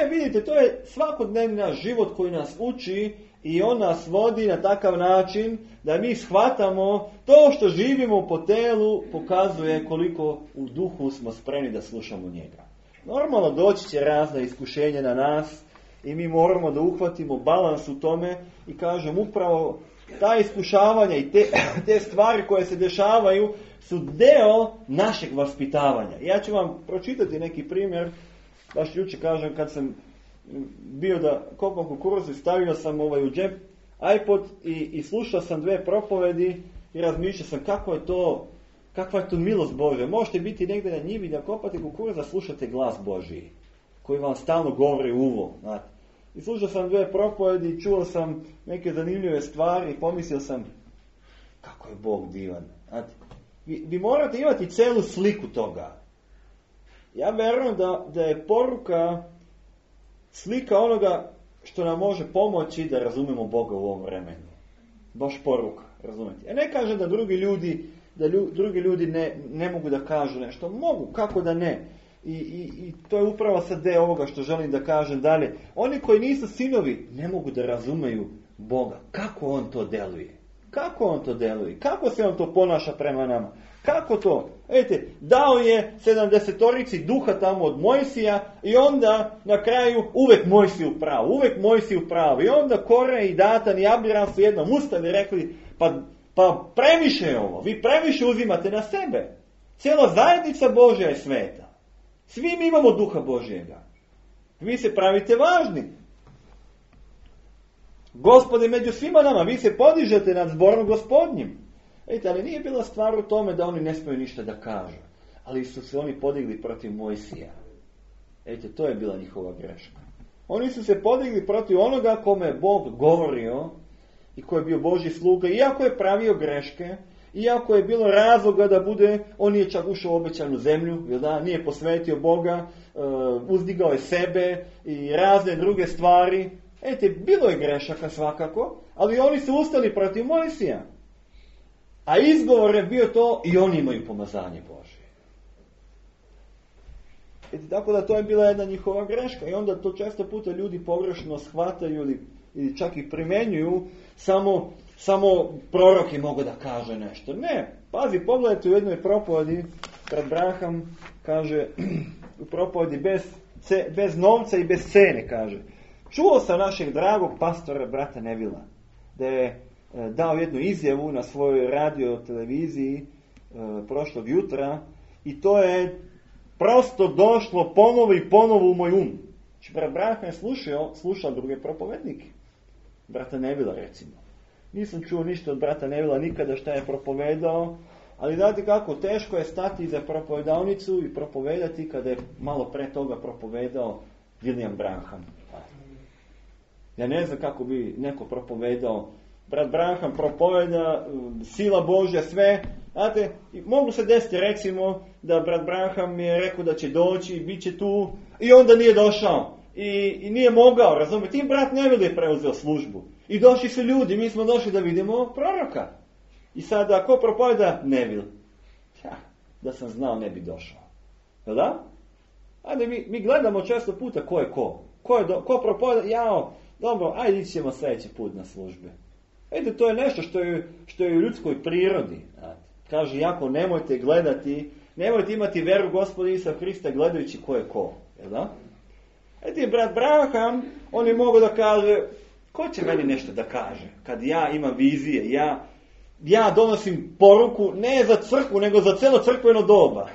Vidite, to je svakodnevni naš život koji nas uči i on nas vodi na takav način da mi shvatamo to što živimo po telu pokazuje koliko u duhu smo spremni da slušamo njega. Normalno doći će razna iskušenja na nas i mi moramo da uhvatimo balans u tome i kažem upravo ta iskušavanja i te stvari koje se dešavaju su deo našeg vaspitavanja. Ja ću vam pročitati neki primjer, baš jučer kažem kad sam bio da kopam kukuruzu i stavio sam u džep iPod i slušao sam 2 propovedi i razmišljao sam kakva je to milost Božja. Možete biti negdje na njivi da kopate kukuruz, da slušate glas Božji koji vam stalno govori u uvo. Znate. I slušao sam 2 propovedi i čuo sam neke zanimljive stvari i pomislio sam kako je Bog divan. Znate. Vi morate imati celu sliku toga. Ja vjerujem da je poruka slika onoga što nam može pomoći da razumemo Boga u ovom vremenu. Baš poruka, razumete. Ja ne kažem da drugi ljudi ne mogu da kažu nešto. Mogu, kako da ne. I to je upravo sad deo ovoga što želim da kažem dalje. Oni koji nisu sinovi ne mogu da razumeju Boga. Kako on to deluje? Kako on to deluje? Kako se on to ponaša prema nama? Kako to? Vidite, dao je 70 duha tamo od Mojsija i onda na kraju uvek Mojsiju pravu. I onda Kore i Datan i Abiram su jednom ustali i rekli, pa previše je ovo, vi previše uzimate na sebe. Cijela zajednica Božja je sveta. Svi mi imamo duha Božjega. Vi se pravite važni. Gospode među svima nama, vi se podižete nad zborom Gospodnjim. Vidite, ali nije bila stvar u tome da oni ne smiju ništa da kažu. Ali su se oni podigli protiv Mojsija. Vidite, to je bila njihova greška. Oni su se podigli protiv onoga kome je Bog govorio i koji je bio Božji sluga, iako je pravio greške, iako je bilo razloga da bude, on nije čak ušao u obećanu zemlju, nije posvetio Boga, uzdigao je sebe i razne druge stvari. Vidite, bilo je grešaka svakako, ali oni su ustali protiv Mojsija. A izgovor je bio to i oni imaju pomazanje Božje. Tako da to je bila jedna njihova greška. I onda to često puta ljudi pogrešno shvataju ili čak i primenjuju, samo proroki mogu da kaže nešto. Ne, pazi, pogledajte u jednoj propovedi, kad Branham kaže u propovedi bez novca i bez cene, kaže. Čuo sam našeg dragog pastora, brata Nevila, da je dao jednu izjavu na svojoj radio televiziji prošlog jutra i to je prosto došlo ponovo u moj um. Znači, brat Branham je slušao druge propovednike. Brata Nevila recimo. Nisam čuo ništa od brata Nevila nikada šta je propovedao, ali znate kako, teško je stati za propovedalnicu i propovedati kada je malo pre toga propovedao William Branham. Ja ne znam kako bi neko propovedao. Brat Branham propoveda, sila Božja, sve. Znate, mogu se desiti recimo da brat Branham je rekao da će doći, bit će tu i onda nije došao. I nije mogao, razumijete. I brat Neville je preuzeo službu. I došli su ljudi, mi smo došli da vidimo proroka. I sada, ko propoveda? Neville. Da sam znao, ne bi došao. Jel da? Ajde, mi gledamo često puta ko je ko. Ko propoveda? Dobro, ajde ići ćemo sljedeći put na službe. Vidite, to je nešto što je u ljudskoj prirodi. Kaže, jako nemojte gledati, nemojte imati veru Gospoda Isusa Krista gledajući ko je ko. Jel da? Vidite, brat Branham, on je mogao da kaže, ko će meni nešto da kaže? Kad ja imam vizije, ja donosim poruku ne za crkvu, nego za celo crkveno doba.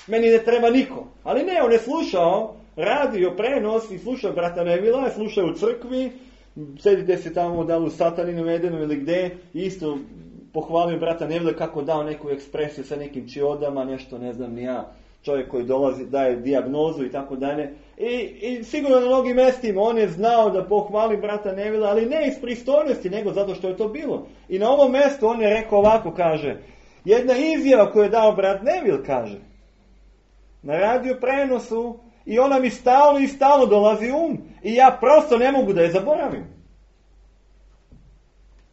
Meni ne treba niko. Ali ne, on je slušao radio prenos i slušao brata Nevila, slušao u crkvi, sedite se tamo da li u Sataninu Edenu ili gde, isto pohvalio brata Nevila kako dao neku ekspresiju sa nekim čiodama, nešto ne znam ni ja, čovjek koji dolazi, daje dijagnozu i tako dalje. I sigurno na mnogim mestima on je znao da pohvali brata Nevila, ali ne iz pristojnosti, nego zato što je to bilo. I na ovom mjestu on je rekao ovako, kaže, jedna izjava koju je dao brat Nevil, kaže, na radio prenosu, i ona mi stalno dolazi i ja prosto ne mogu da je zaboravim.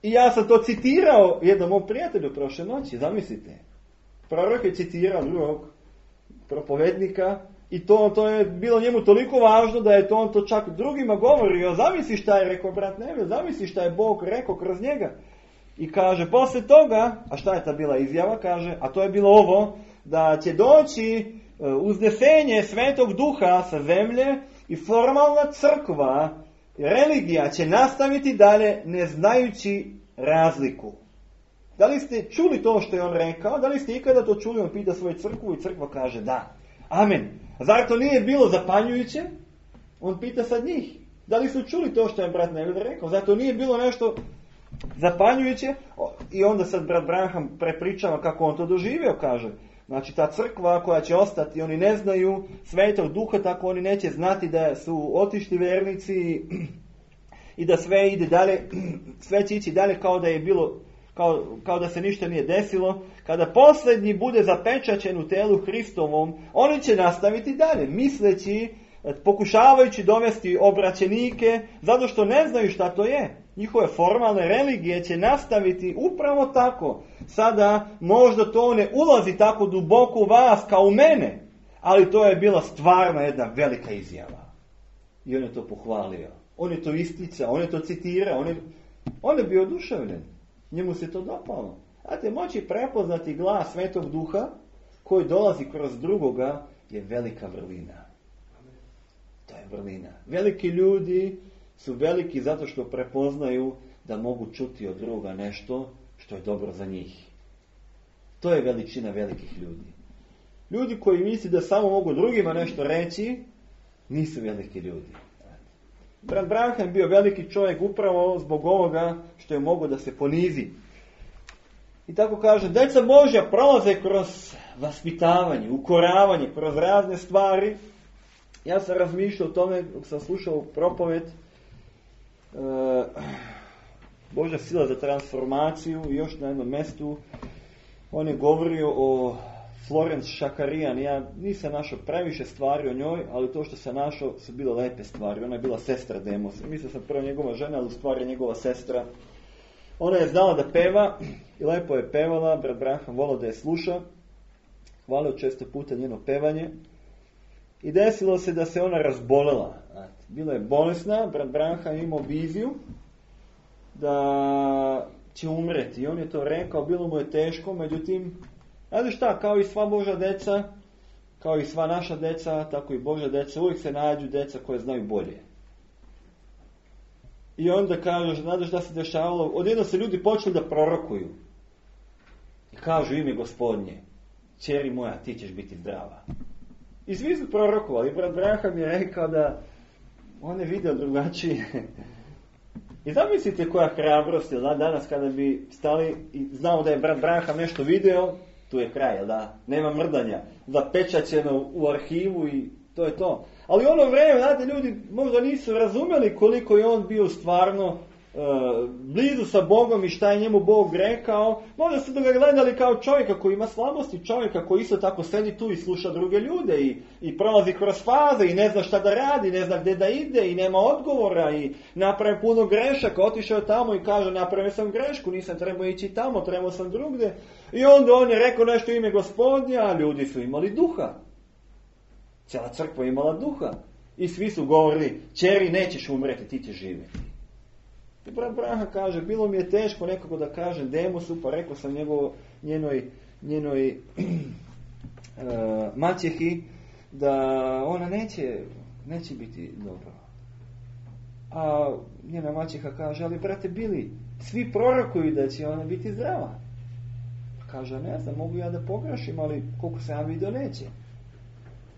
I ja sam to citirao jednom mom prijatelju prošle noći, zamislite. Prorok je citirao drugog propovednika i to je bilo njemu toliko važno da je on to čak drugima govorio. Zamisli šta je rekao brat Neville, zamisli šta je Bog rekao kroz njega. I kaže, posle toga, a šta je ta bila izjava, kaže, a to je bilo ovo, da će doći uznesenje Svetog Duha sa zemlje i formalna crkva, religija će nastaviti dalje ne znajući razliku. Da li ste čuli to što je on rekao? Da li ste ikada to čuli? On pita svoju crkvu i crkva kaže da. Amen. A zar to nije bilo zapanjujuće? On pita sad njih. Da li su čuli to što je brat Neville rekao? Zar to nije bilo nešto zapanjujuće? I onda sad brat Branham prepričava kako on to doživio, kaže. Znači ta crkva koja će ostati, oni ne znaju Svetog Duha, tako oni neće znati da su otišli vernici i da sve ide dalje, sve će ići dalje kao da je bilo, kao da se ništa nije desilo. Kada posljednji bude zapečaćen u telu Hristovom, oni će nastaviti dalje, misleći, pokušavajući dovesti obraćenike, zato što ne znaju šta to je. Njihove formalne religije će nastaviti upravo tako. Sada možda to ne ulazi tako duboko u vas kao u mene, ali to je bila stvarno jedna velika izjava. I on je to pohvalio. On je to isticao, on je to citirao, on je bio oduševljen. Njemu se to dopalo. Znate, moći prepoznati glas Svetog Duha koji dolazi kroz drugoga je velika vrlina. To je vrlina. Veliki ljudi su veliki zato što prepoznaju da mogu čuti od druga nešto što je dobro za njih. To je veličina velikih ljudi. Ljudi koji misli da samo mogu drugima nešto reći, nisu veliki ljudi. Brat Branham je bio veliki čovjek upravo zbog ovoga što je mogao da se ponizi. I tako kaže, djeca Božja prolaze kroz vaspitavanje, ukoravanje, kroz razne stvari. Ja sam razmišljao o tome, dok sam slušao propoved, Božja sila za transformaciju, i još na jednom mjestu on je govorio o Florence Šakarijan. Ja nisam našao previše stvari o njoj, ali to što sam našao su bile lepe stvari. Ona je bila sestra Demosa. Mislio sam prvo njegova žena, ali u stvari je njegova sestra. Ona je znala da peva i lepo je pevala. Brat Branham volio da je sluša. Hvalio često puta njeno pevanje. I desilo se da se ona razbolela. Bila je bolesna. Brat Branham imao viziju da će umreti. I on je to rekao, bilo mu je teško, međutim, znate šta, kao i sva Božja deca, kao i sva naša deca, tako i Božja deca, uvijek se nađu deca koje znaju bolje. I onda kažu, znate šta se dešavalo, odjedno se ljudi počeli da prorokuju. I kažu ime Gospodnje, ćeri moja, ti ćeš biti zdrava. I svi su prorokovali. Brat Branham je rekao da on je vidio drugačije. I zamislite koja hrabrost, jel da, danas kada bi stali i znao da je brat Branham nešto video, tu je kraj, jel da, nema mrdanja, zapečaćeno u arhivu i to je to. Ali ono vrijeme, znate, ljudi možda nisu razumjeli koliko je on bio stvarno blizu sa Bogom i šta je njemu Bog rekao. Možda su ga gledali kao čovjeka koji ima slabosti, čovjeka koji isto tako sedi tu i sluša druge ljude i prolazi kroz faze i ne zna šta da radi, ne zna gdje da ide i nema odgovora i napravi puno grešaka, otišao tamo i kaže napravio sam grešku, nisam trebao ići tamo, trebao sam drugdje. I onda on je rekao nešto ime Gospodnja, a ljudi su imali duha. Cijela crkva imala duha. I svi su govorili, ćeri nećeš umreti, ti ćeš živjeti. I brat Branham kaže, bilo mi je teško nekako da kažem Demosu, pa rekao sam njenoj maćehi da ona neće biti dobro. A njena maćeha kaže, ali brate Bili, svi prorokuju da će ona biti zdrava. Kaže, ne znam, mogu ja da pogrešim, ali koliko sam ja vidio neće.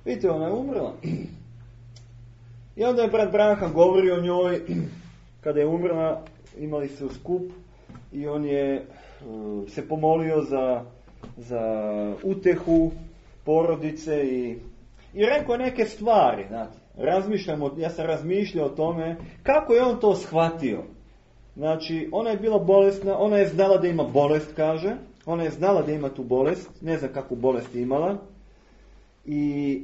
Vidite, ona je umrla. I onda je brat Branham govorio o njoj. Kada je umrla, imali su skup i on je se pomolio za utehu porodice i rekao neke stvari. Znate. Ja sam razmišljao o tome kako je on to shvatio. Znači, ona je bila bolesna, ona je znala da ima bolest, kaže. Ona je znala da ima tu bolest, ne znam kakvu bolest je imala. I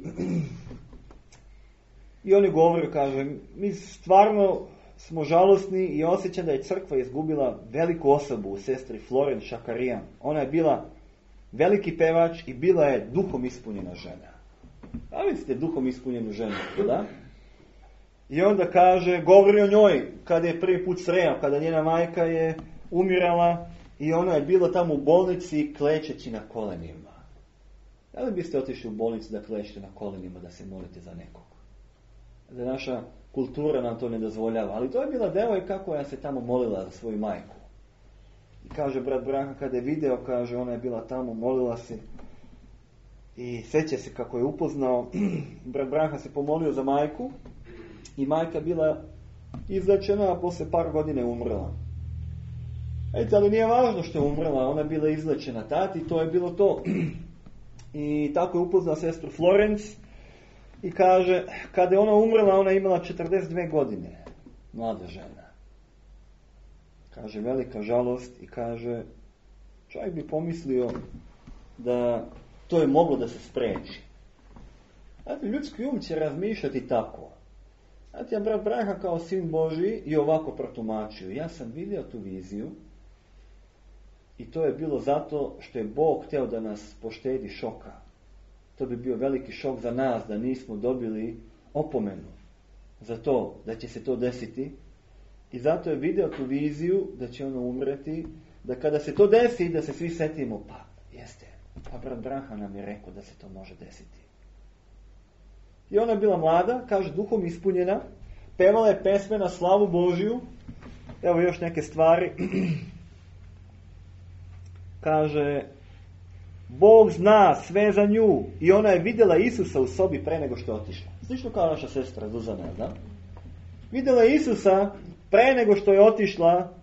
on je govorio, kaže, mi stvarno smo žalosni i osjećam da je crkva izgubila veliku osobu u sestri Florence Šakarijan. Ona je bila veliki pevač i bila je duhom ispunjena žena. Da li ste duhom ispunjenu ženu? Da? I onda kaže, govori o njoj kada je prvi put sreo, kada njena majka je umirala i ona je bila tamo u bolnici klečeći na kolenima. Da li biste otišli u bolnicu da klečete na kolenima, da se molite za nekog? Da naša kultura nam to ne dozvoljava. Ali to je bila devojka koja se tamo molila za svoju majku. I kaže brat Branha, kada je video, kaže, ona je bila tamo, molila se. I sjeća se kako je upoznao. Brat Branha se pomolio za majku. I majka bila izlečena, a poslije par godina je umrla. Ali nije važno što je umrla, ona je bila izlečena tati, to je bilo to. I tako je upoznao sestru Florence i kaže, kada je ona umrla, ona je imala 42 godine, mlada žena. Kaže, velika žalost i kaže, čovjek bi pomislio da to je moglo da se spreči. Znate, ljudski um će razmišljati tako. Znate, ja brat Branha kao sin Božji i ovako protumačio. Ja sam vidio tu viziju i to je bilo zato što je Bog htio da nas poštedi šoka. To bi bio veliki šok za nas da nismo dobili opomenu za to, da će se to desiti. I zato je vidio tu viziju da će ono umreti, da kada se to desi, da se svi setimo, pa jeste, pa brat Branha nam je rekao da se to može desiti. I ona je bila mlada, kaže, duhom ispunjena, pevala je pesme na slavu Božju. Evo još neke stvari. Kaže, Bog zna sve za nju i ona je vidjela Isusa u sobi pre nego što je otišla. Slično kao naša sestra Zuzana, da? Vidjela je Isusa pre nego što je otišla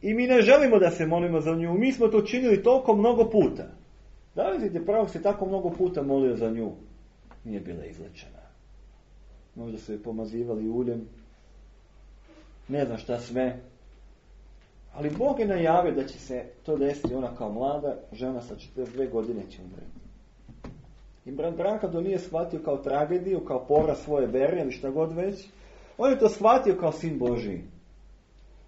i mi ne želimo da se molimo za nju. Mi smo to činili toliko mnogo puta. Da li vidite, pravo se tako mnogo puta molio za nju? Nije bila izlečena. Možda su je pomazivali uljem. Ne znam šta sve. Ali Bog je najavio da će se to desiti. Ona kao mlada žena sa 42 godine će umreti. I brat Branha to nije shvatio kao tragediju, kao poraz svoje vere ili šta god već. On je to shvatio kao sin Božji.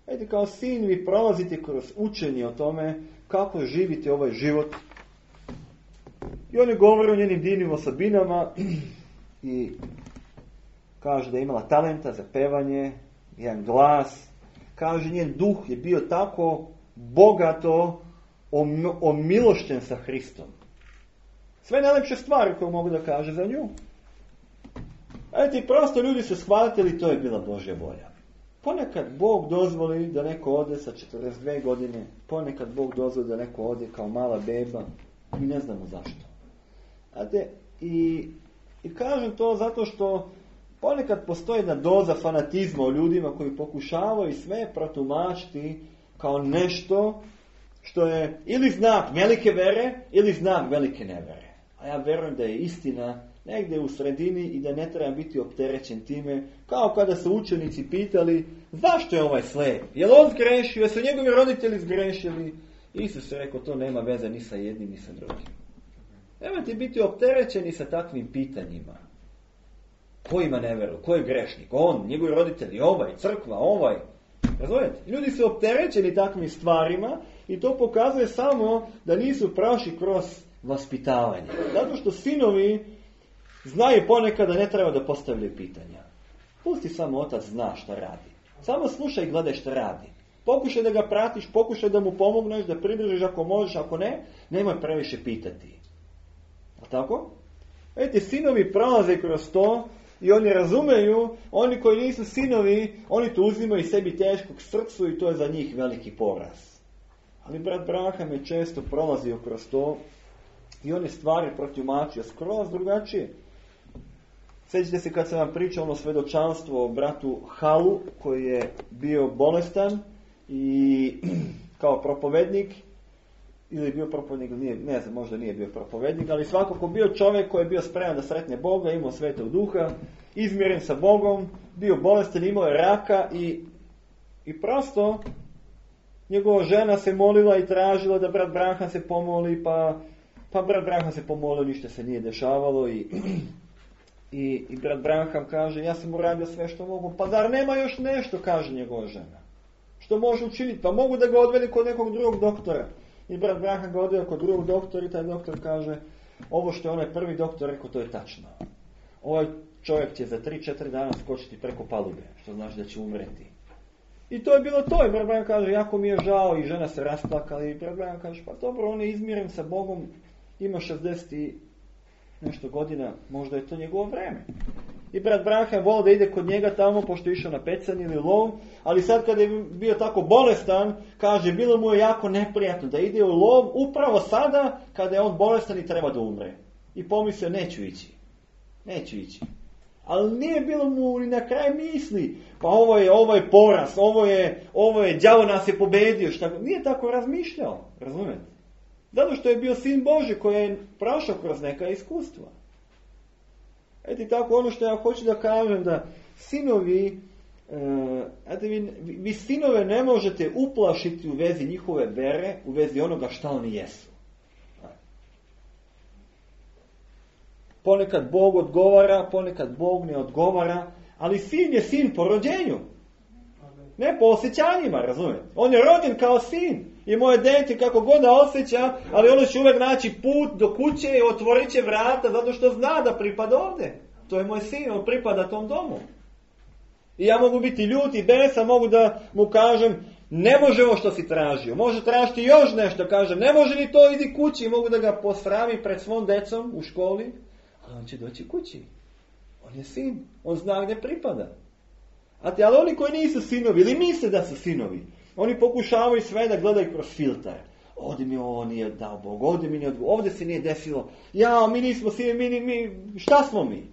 Vidite, kao sin vi prolazite kroz učenje o tome kako živite ovaj život. I on je govorio o njenim divnim osobinama i kaže da je imala talenta za pevanje, jedan glas. Kaže, njen duh je bio tako bogato omilošćen sa Hristom. Sve najlepše stvari koje mogu da kaže za nju. Vidite, prosto ljudi su shvatili, to je bila Božja volja. Ponekad Bog dozvoli da neko ode sa 42 godine, ponekad Bog dozvoli da neko ode kao mala beba, mi ne znamo zašto. I kažem to zato što ponekad postoji jedna doza fanatizma o ljudima koji pokušavaju sve protumačiti kao nešto što je ili znak velike vere ili znak velike nevere. A ja verujem da je istina negdje u sredini i da ne treba biti opterećen time, kao kada su učenici pitali zašto je ovaj slijep? Je li on zgrešio? Jesu njegovi roditelji zgrešili? Isus je rekao, to nema veze ni sa jednim ni sa drugim. Nemojte biti opterećeni sa takvim pitanjima. Ko ima neveru? Ko je grešnik? On, njegovi roditelji, ovaj, crkva, ovaj. Razumijete? Ljudi su opterećeni takvim stvarima i to pokazuje samo da nisu prošli kroz vaspitavanje. Zato što sinovi znaju ponekad da ne treba da postavljaju pitanja. Pusti samo otac zna šta radi. Samo slušaj i gledaj šta radi. Pokušaj da ga pratiš, pokušaj da mu pomogneš, da pridržiš ako možeš, ako ne, nemoj previše pitati. A tako? Vidite, sinovi prolaze kroz to i oni razumeju, oni koji nisu sinovi, oni to uzimaju sebi teškog srcu i to je za njih veliki poraz. Ali brat Branham je često prolazio kroz to i on je stvari protumačio skroz drugačije. Sjećate se kad sam vam pričao ono svedočanstvo o bratu Halu koji je bio bolestan i kao propovednik, ili je bio propovednik, ne znam, možda nije bio propovednik, ali svakako bio čovjek koji je bio spreman da sretne Boga, imao Svetog Duha, izmiren sa Bogom, bio bolestan, imao je raka i prosto njegova žena se molila i tražila da brat Branham se pomoli, pa brat Branham se pomolio, ništa se nije dešavalo I brat Branham kaže, ja sam uradio sve što mogu. Pa zar nema još nešto, kaže njegova žena. Što može učiniti? Pa mogu da ga odveli kod nekog drugog doktora. I brat Branham ga odveo kod drugog doktora i taj doktor kaže, ovo što je onaj prvi doktor rekao, to je tačno. Ovaj čovjek će za 3-4 dana skočiti preko palube, što znači da će umreti. I to je bilo to. I brat Branham kaže, jako mi je žao, i žena se rasplakala. I brat Branham kaže, pa dobro, on je izmiren sa Bogom, ima 60 i nešto godina, možda je to njegovo vreme. I brat Branham volio da ide kod njega tamo, pošto je išao na pecanje ili lov, ali sad kad je bio tako bolestan, kaže, bilo mu je jako neprijatno da ide u lov upravo sada kada je on bolestan i treba da umre. I pomislio, neću ići. Ali nije bilo mu ni na kraj misli, pa ovo je poraz, ovo je đavo nas je pobedio, nije tako razmišljao, razumijete? Zato što je bio sin Boži koji je prošao kroz neka iskustva. Eto tako ono što ja hoću da kažem, da sinovi, vi sinove ne možete uplašiti u vezi njihove vere, u vezi onoga šta oni jesu. Ponekad Bog odgovara, ponekad Bog ne odgovara, ali sin je sin po rođenju. Ne po osjećanjima, razumijete? On je rođen kao sin. I moje dete kako god da osjeća, ali ono će uvijek naći put do kuće i otvorit će vrata zato što zna da pripada ovdje. To je moj sin, on pripada tom domu. I ja mogu biti ljut i besan, mogu da mu kažem, ne može ovo što si tražio. Može tražiti još nešto, kažem, ne može ni to, idi kući. Mogu da ga posramim pred svom decom u školi, ali on će doći kući. On je sin, on zna gdje pripada. Ali oni koji nisu sinovi ili misle da su sinovi, oni pokušavaju sve da gledaju kroz filtar. Ovdje mi ovo nije dao Bog, ovdje mi nije odgovor, ovdje se nije desilo. Ja, mi nismo sinovi, šta smo mi?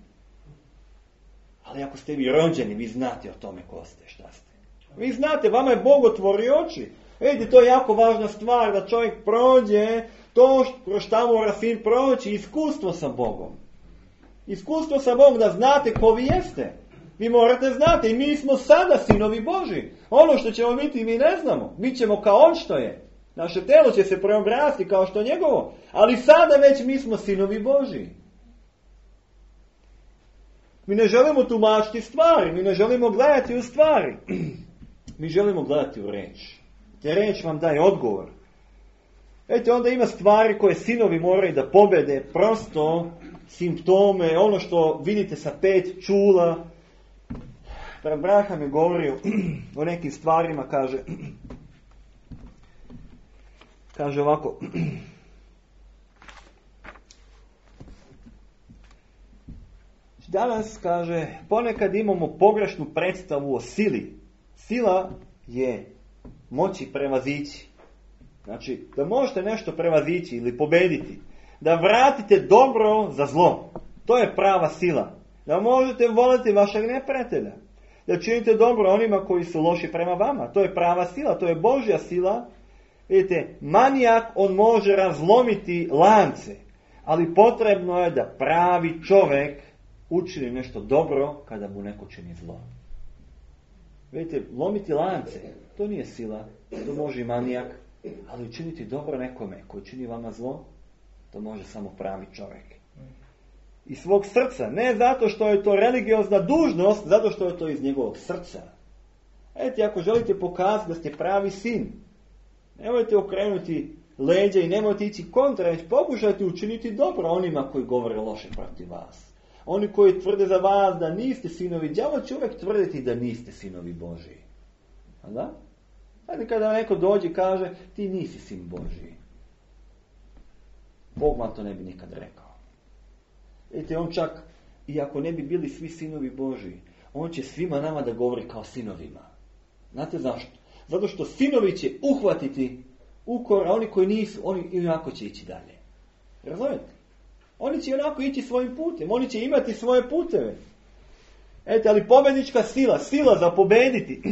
Ali ako ste vi rođeni, vi znate o tome ko ste, šta ste. Vi znate, vama je Bog otvorio oči. Vidite, to je jako važna stvar, da čovjek prođe to kroz šta mora sin proći, iskustvo sa Bogom. Iskustvo sa Bogom, da znate ko vi jeste. Vi morate znati, i mi smo sada sinovi Boži. Ono što ćemo biti mi ne znamo. Mi ćemo kao on što je. Naše telo će se preobrasti kao što je njegovo. Ali sada već mi smo sinovi Boži. Mi ne želimo tumačiti stvari. Mi ne želimo gledati u stvari. Mi želimo gledati u reč. Te reč vam daje odgovor. Eto, onda ima stvari koje sinovi moraju da pobede. Prosto simptome, ono što vidite sa 5 čula. Brat Branham je govorio o nekim stvarima, kaže ovako. Danas, kaže, ponekad imamo pogrešnu predstavu o sili. Sila je moći prevazići. Znači, da možete nešto prevazići ili pobediti. Da vratite dobro za zlo. To je prava sila. Da možete voliti vašeg neprijatelja. Da činite dobro onima koji su loši prema vama. To je prava sila, to je Božja sila. Vidite, manijak, on može razlomiti lance. Ali potrebno je da pravi čovjek učini nešto dobro kada mu neko čini zlo. Vidite, lomiti lance, to nije sila, to može i manijak. Ali učiniti dobro nekome koji čini vama zlo, to može samo pravi čovjek. Iz svog srca, ne zato što je to religiozna dužnost, zato što je to iz njegovog srca. Eto, ako želite pokazati da ste pravi sin, nemojte okrenuti leđa i nemojte ići kontra, već pokušajte učiniti dobro onima koji govore loše protiv vas. Oni koji tvrde za vas da niste sinovi, đavo će uvijek tvrditi da niste sinovi Božji. A da? Ajde, kada neko dođe i kaže, ti nisi sin Božji. Bog vam to ne bi nikad rekao. Vidite, on čak, i ako ne bi bili svi sinovi Božji, on će svima nama da govori kao sinovima. Znate zašto? Zato što sinovi će uhvatiti ukor, a oni koji nisu, oni inako će ići dalje. Razumijete? Oni će onako ići svojim putem, oni će imati svoje puteve. Eto, ali pobednička sila, sila za pobediti.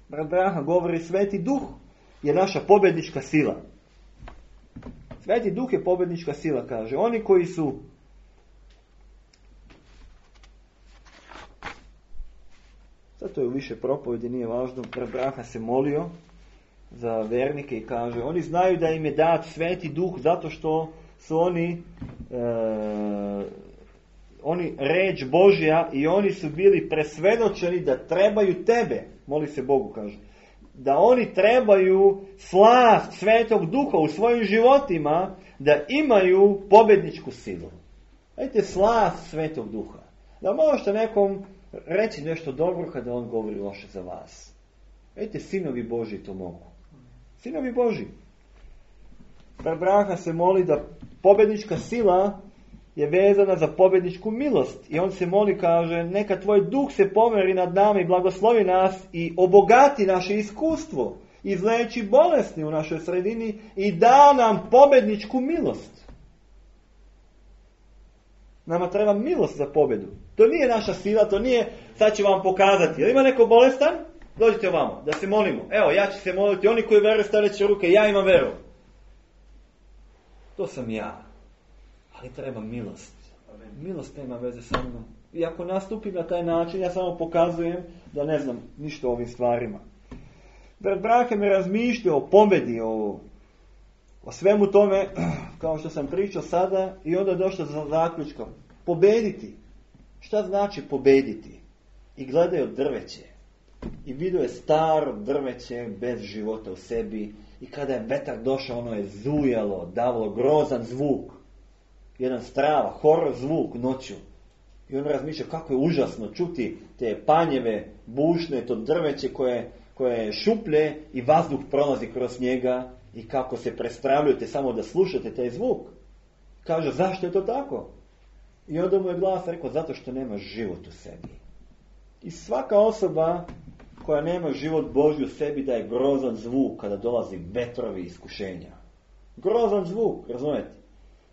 Brat Branham govori, Sveti Duh je naša pobednička sila. Sveti Duh je pobednička sila, kaže. Oni koji su sad to je u više propovedi, nije važno. Brat Branham se molio za vernike i kaže, oni znaju da im je dat Sveti Duh zato što su oni oni reč Božja i oni su bili presvedočeni da trebaju tebe, moli se Bogu, kaže, da oni trebaju slast Svetog Duha u svojim životima, da imaju pobjedničku silu. Vidite, slast Svetog Duha. Da možete nekom reći nešto dobro kada on govori loše za vas. Vidite, sinovi Božji to mogu. Sinovi Božji. Brat Branham se moli da pobjednička sila je vezana za pobjedničku milost. I on se moli, kaže, neka tvoj duh se pomeri nad nama i blagoslovi nas i obogati naše iskustvo, izleči bolesti u našoj sredini i da nam pobjedničku milost. Nama treba milost za pobjedu. To nije naša sila, to nije, sad ću vam pokazati. Jel ima neko bolestan? Dođite ovamo, da se molimo. Evo, ja ću se moliti, oni koji veruju stavit će ruke, ja imam veru. To sam ja. Ali treba milost. Milost nema veze sa mnom. I ako nastupim na taj način, ja samo pokazujem da ne znam ništa o ovim stvarima. Brat Branham je razmišljao o pobjedi, o svemu tome, kao što sam pričao sada, i onda je došao za zaključkom. Pobediti. Šta znači pobediti? I gledaju drveće. I vidio je staro drveće bez života u sebi. I kada je vetar došao, ono je zujalo, davalo grozan zvuk. Jedan strava, horor zvuk noću. I on razmišlja kako je užasno čuti te panjeve, bušne, to drveće koje je šuplje i vazduh prolazi kroz njega i kako se prestravljujete samo da slušate taj zvuk. Kaže, zašto je to tako? I onda mu je glas rekao, zato što nema život u sebi. I svaka osoba koja nema život Božji u sebi daje grozan zvuk kada dolazi vetrovi iskušenja. Grozan zvuk, razumijete?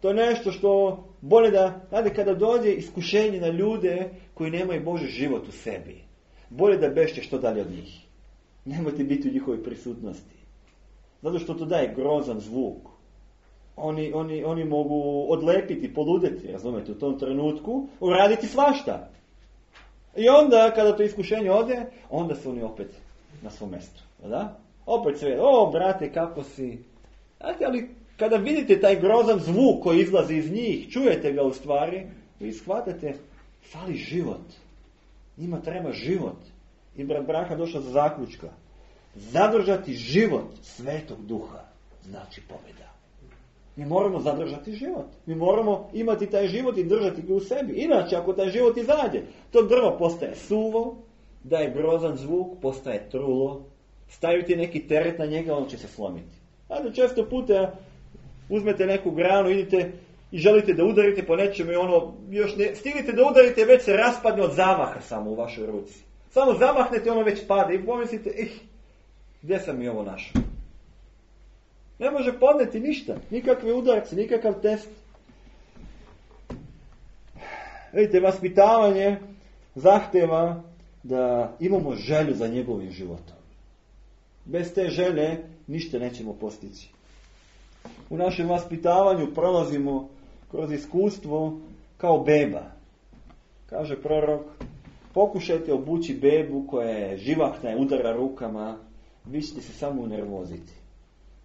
To je nešto što bolje da, znate, kada dođe iskušenje na ljude koji nemaju Božji život u sebi, bolje da bežite što dalje od njih. Nemojte biti u njihovoj prisutnosti. Zato što to daje grozan zvuk. Oni mogu odlepiti, poludeti, razumijete, u tom trenutku, uraditi svašta. I onda, kada to iskušenje ode, onda su oni opet na svom mjestu. Da? Opet sve, brate, kako si... Znate, ali kada vidite taj grozan zvuk koji izlazi iz njih, čujete ga u stvari, vi shvatate, fali život. Njima treba život. I brat Branham došao za zaključka. Zadržati život Svetog Duha znači pobjeda. Mi moramo zadržati život. Mi moramo imati taj život i držati ga u sebi. Inače, ako taj život izađe, to drvo postaje suvo, daje grozan zvuk, postaje trulo, stavite neki teret na njega, on će se slomiti. Znate, često puta uzmete neku granu, idete i želite da udarite po nečemu i ono, još ne stignete da udarite, već se raspadne od zamaha samo u vašoj ruci. Samo zamahnete, ono već pada i pomislite, gdje sam mi ovo našao? Ne može podneti ništa, nikakve udarce, nikakav test. Vidite, vaspitavanje zahteva da imamo želju za njegovim životom. Bez te želje ništa nećemo postići. U našem vaspitavanju prolazimo kroz iskustvo kao beba. Kaže prorok, pokušajte obući bebu koja je živahna i udara rukama, vi ćete se samo unervoziti.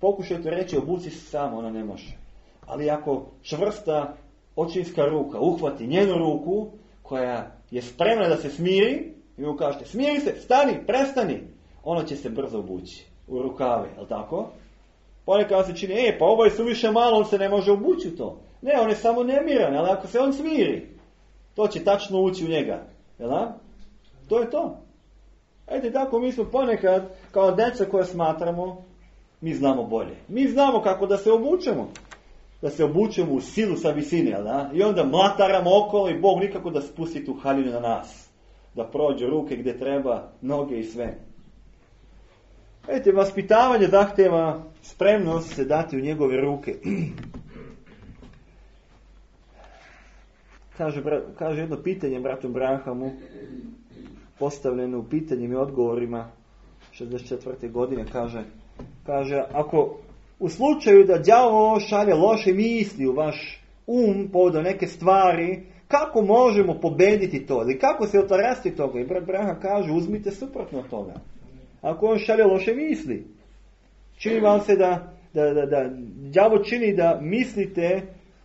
Pokušajte reći, obuci se samo, ona ne može. Ali ako čvrsta očinska ruka uhvati njenu ruku, koja je spremna da se smiri, i mu kažete, smiri se, stani, prestani, ona će se brzo obući u rukave, je li tako? Ponekad se čini, pa ovo je suviše malo, on se ne može obući u to. Ne, on je samo nemiran, ali ako se on smiri, to će tačno ući u njega. Jel da? To je to. Ejte, tako mi smo ponekad, kao djeca koje smatramo, mi znamo bolje. Mi znamo kako da se obučemo. Da se obučemo u silu sa visine, jel da? I onda mlataramo okolo i Bog nikako da spusti tu haljinu na nas. Da prođe ruke gdje treba, noge i sve. Vidite, vaspitavanje zahtjeva spremnost se dati u njegove ruke. Kaže jedno pitanje bratom Branhamu, postavljeno u pitanjem i odgovorima 64. godine, kaže, ako u slučaju da đavo šalje loše misli u vaš povodom neke stvari, kako možemo pobediti to? Ili kako se otarasti toga? I brat Branham kaže, uzmite suprotno od toga. Ako on šalje loše misli, čini vam se da đavo čini da mislite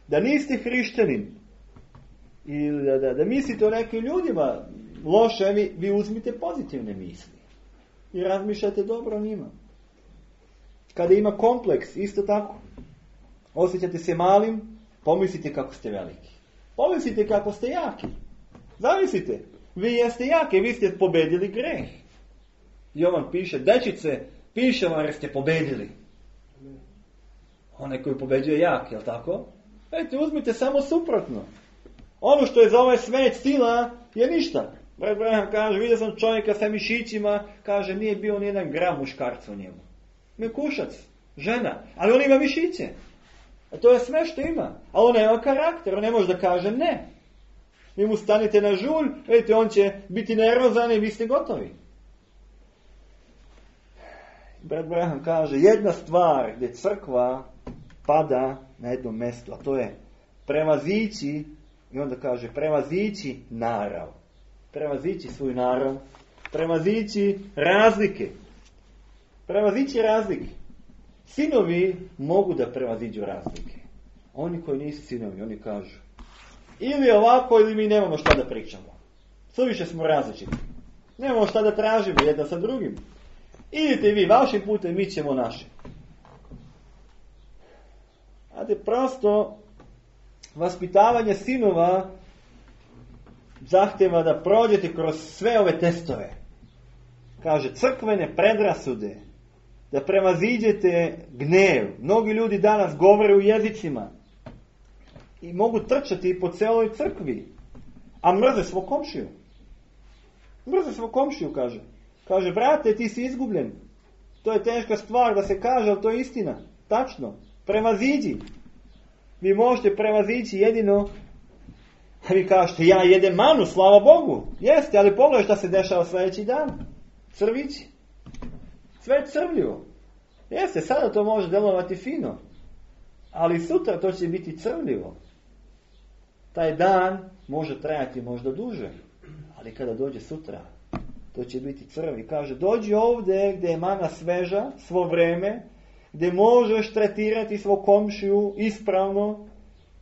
da niste hrišćanin ili da mislite o nekim ljudima loše, vi uzmite pozitivne misli i razmišljate dobro o njima. Kada ima kompleks, isto tako, osjećate se malim, pomislite kako ste veliki. Pomislite kako ste jaki. Zamislite, vi jeste jaki, vi ste pobedili greh. Jovan piše, dečice, piše vam jer ste pobedili. Onaj koji pobeđuje jak, jel tako? Ejte, uzmite samo suprotno. Ono što je za ovaj svet sila je ništa. Brat Branham kaže, vidio sam čovjeka sa mišićima, kaže, nije bio ni jedan gram muškarca u njemu. Mekušac, žena, ali on ima mišiće. A to je sve što ima. Ali on nema karakter, on ne može da kaže ne. Vi mu stanete na žulj, vidite, on će biti nervozan i vi ste gotovi. Brat Branham kaže, jedna stvar gdje crkva pada na jednom mjestu, a to je prevazići, i onda kaže, prevazići narav. Prevazići svoj narav, prevazići razlike. Prevazići razlike. Sinovi mogu da prevaziđu razlike. Oni koji nisu sinovi, oni kažu, ili ovako, ili mi nemamo šta da pričamo. Suviše smo različiti. Nemamo šta da tražimo jedan sa drugim. Idite vi vašim putem, mi ćemo našim. Znate, prosto vaspitavanje sinova zahtjeva da prođete kroz sve ove testove. Kaže, crkvene predrasude, da prevaziđete gnev. Mnogi ljudi danas govore u jezicima i mogu trčati po celoj crkvi, a mrze svog komšiju. Mrze svog komšiju, kaže. Kaže, brate, ti si izgubljen. To je teška stvar da se kaže, ali to je istina. Tačno. Prevaziđi. Vi možete prevazići jedino, a vi kažete, ja jedem manu, slava Bogu. Jeste, ali pogledaj šta se dešava sljedeći dan. Crvići. Sve je crvljivo. Jeste, sada to može delovati fino. Ali sutra to će biti crvljivo. Taj dan može trajati možda duže. Ali kada dođe sutra, to će biti crv. I kaže, dođi ovdje gdje je mana sveža, svo vreme, gdje možeš tretirati svog komšiju ispravno,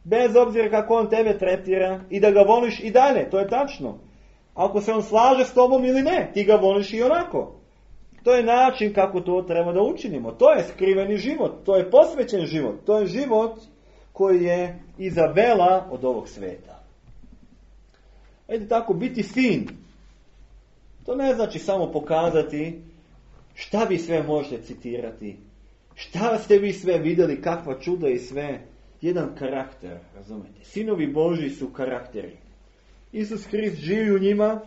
bez obzira kako on tebe tretira, i da ga voliš i dalje, to je tačno. Ako se on slaže s tobom ili ne, ti ga voliš i onako. To je način kako to treba da učinimo. To je skriveni život, to je posvećen život, to je život koji je Izabela od ovog sveta. Ejte tako, biti sin. To ne znači samo pokazati šta vi sve možete citirati, šta ste vi sve vidjeli, kakva čuda i sve. Jedan karakter, razumete. Sinovi Božji su karakteri. Isus Hrist živi u njima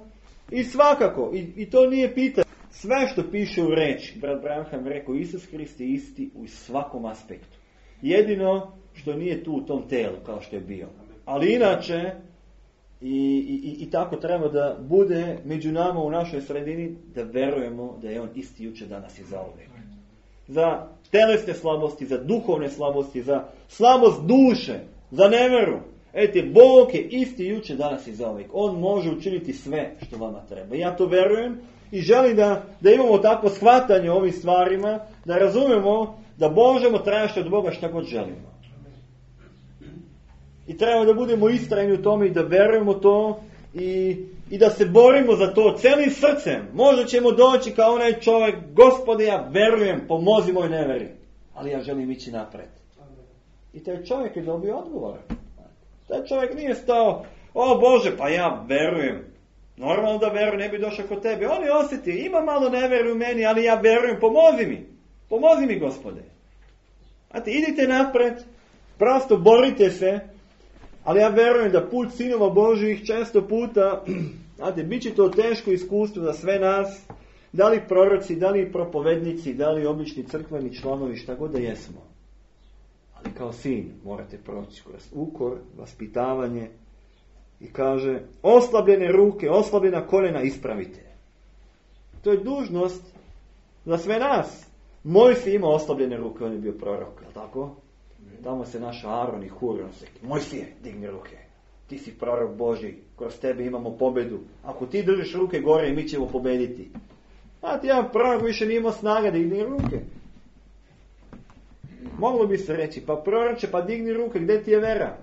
i svakako, i to nije pitanje. Sve što piše u reči, brat Branham rekao, Isus Hrist je isti u svakom aspektu. Jedino što nije tu u tom telu kao što je bio. Ali inače, i tako treba da bude među nama u našoj sredini, da verujemo da je on isti juče, danas i zauvijek. Za telesne slabosti, za duhovne slabosti, za slabost duše, za neveru. Ejte, Bog je isti juče, danas i zauvijek. On može učiniti sve što vama treba. Ja to verujem i želim da imamo takvo shvatanje o ovim stvarima, da razumemo da možemo tražiti od Boga šta god želimo. I treba da budemo istrajni u tome i da verujemo to i da se borimo za to celim srcem. Možda ćemo doći kao onaj čovjek, Gospode, ja verujem, pomozi moj neveri, ali ja želim ići napred. I taj čovjek je dobio odgovor. Taj čovjek nije stao, o Bože, pa ja verujem. Normalno da verujem, ne bi došao kod tebe. On je osjeti, ima malo neveri u meni, ali ja verujem, pomozi mi. Pomozi mi, Gospode. Znate, idite napred, prosto borite se, ali ja verujem da put sinova Božjih često puta, znate, bit će to teško iskustvo za sve nas, da li proroci, da li propovednici, da li obični crkveni članovi, šta god da jesmo. Ali kao sin morate proći kroz ukor, vaspitavanje i kaže, oslabljene ruke, oslabljena koljena ispravite. To je dužnost za sve nas. Mojsije ima oslabljene ruke, on je bio prorok, je tako? Tamo se naš Aron i Hur, on se, Mojsije, digni ruke. Ti si prorok Božji, kroz tebe imamo pobedu. Ako ti držiš ruke gore, mi ćemo pobediti. Znate, jedan prorok više nije imao snaga, digni ruke. Moglo bi se reći, pa proroče, pa digni ruke, gdje ti je vera?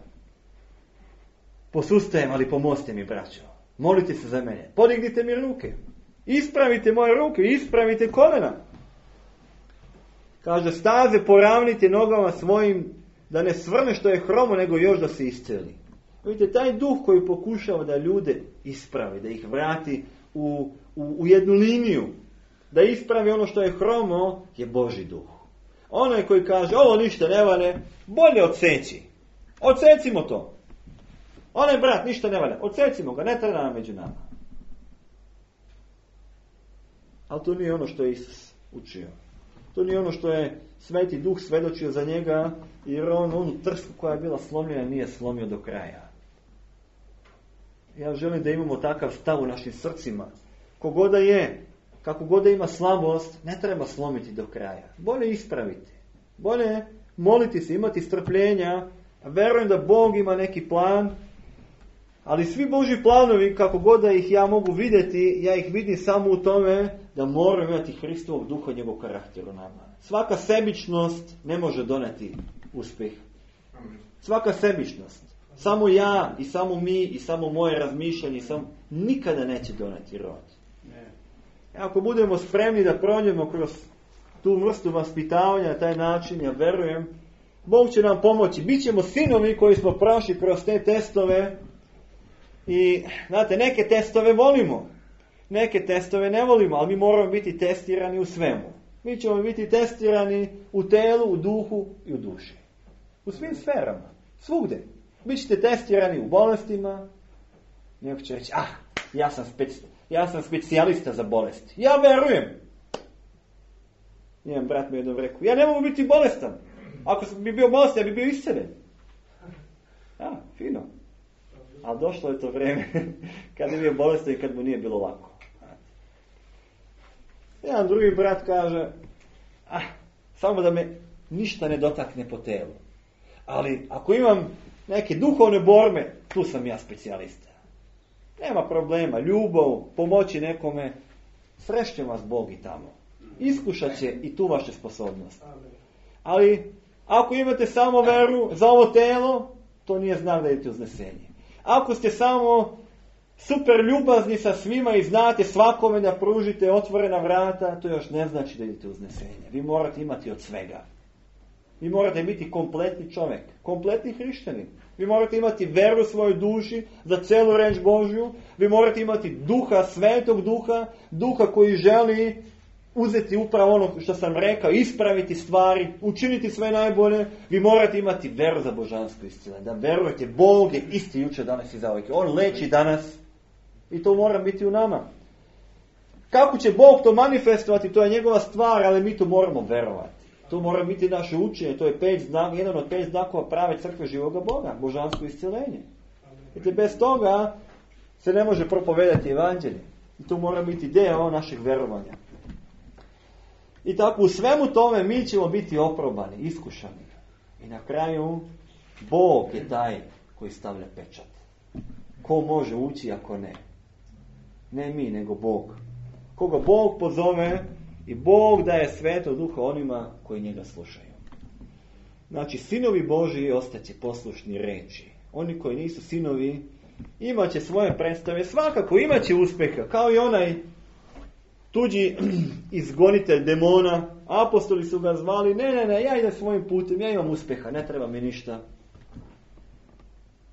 Posustajem, ali pomozite mi, braćo. Molite se za mene. Podignite mi ruke. Ispravite moje ruke, ispravite kolena. Kaže, staze poravnite nogama svojim, da ne svrne što je hromo, nego još da se isceli. Vidite, taj duh koji pokušava da ljude ispravi, da ih vrati u jednu liniju, da ispravi ono što je hromo, je Božji duh. Onaj koji kaže, ovo ništa ne valja, bolje odseći. Odsecimo to. Onaj brat ništa ne valja, odsecimo ga, ne treba nam među nama. Ali to nije ono što je Isus učio. To nije ono što je Sveti Duh svedočio za njega, jer on onu trsku koja je bila slomljena nije slomio do kraja. Ja želim da imamo takav stav u našim srcima. Kogoda je, kako god da ima slabost, ne treba slomiti do kraja. Bolje ispraviti. Bolje moliti se, imati strpljenja. Verujem da Bog ima neki plan, ali svi Božji planovi, kako god da ih ja mogu vidjeti, ja ih vidim samo u tome da moram imati Hristovog duha i njegov karakter u nama. Svaka sebičnost ne može doneti uspjeh. Svaka sebičnost. Samo ja i samo mi i samo moje razmišljanje nikada neće doneti rod. Ako budemo spremni da prođemo kroz tu vrstu vaspitavanja na taj način, ja verujem, Bog će nam pomoći. Bićemo sinovi koji smo prošli kroz te testove. I, znate, neke testove volimo, neke testove ne volimo, ali mi moramo biti testirani u svemu. Mi ćemo biti testirani u telu, u duhu i u duši. U svim sferama, svugdje. Bićete testirani u bolestima. Neko će reći, ja sam specijalista za bolesti. Ja verujem. Jedan brat mi jednom rekao, ja ne mogu biti bolestan. Ako bi bio bolestan, ja bi bio isceljen. Fino. Ali došlo je to vrijeme kad je bio bolestan i kad mu nije bilo lako. Jedan drugi brat kaže, samo da me ništa ne dotakne po telu. Ali ako imam neke duhovne borbe, tu sam ja specijalista. Nema problema, ljubav, pomoći nekome, srešće vas Bog i tamo. Iskušat će i tu vaše sposobnosti. Ali ako imate samo veru za ovo telo, to nije znak da idete uznesenje. Ako ste samo super ljubazni sa svima i znate svakome da pružite otvorena vrata, to još ne znači da idete uznesenje. Vi morate imati od svega. Vi morate biti kompletni čovjek, kompletni hrišćanin. Vi morate imati veru u svojoj duši za celu reč Božju. Vi morate imati duha, svetog duha, duha koji želi uzeti upravo ono što sam rekao, ispraviti stvari, učiniti sve najbolje. Vi morate imati veru za božansko isciljenje. Da verujete, Bog je isti jučer, danas i zauvijek. On leči danas i to mora biti u nama. Kako će Bog to manifestovati, to je njegova stvar, ali mi to moramo verovati. To mora biti naše učenje, to je jedan od 5 znakova prave crkve živoga Boga, božansko isciljenje. Jer bez toga se ne može propovedati evanđelje. I to mora biti deo našeg verovanja. I tako u svemu tome mi ćemo biti oprobani, iskušani. I na kraju Bog je taj koji stavlja pečat. Ko može ući ako ne? Ne mi, nego Bog. Koga Bog pozove i Bog daje sveto duha onima koji njega slušaju. Znači, sinovi Božji ostaće poslušni reči. Oni koji nisu sinovi imat će svoje predstave, svakako imat će uspjeha, kao i onaj tuđi izgonitelj demona. Apostoli su ga zvali, ne, ja idem svojim putem, ja imam uspjeha, ne treba mi ništa.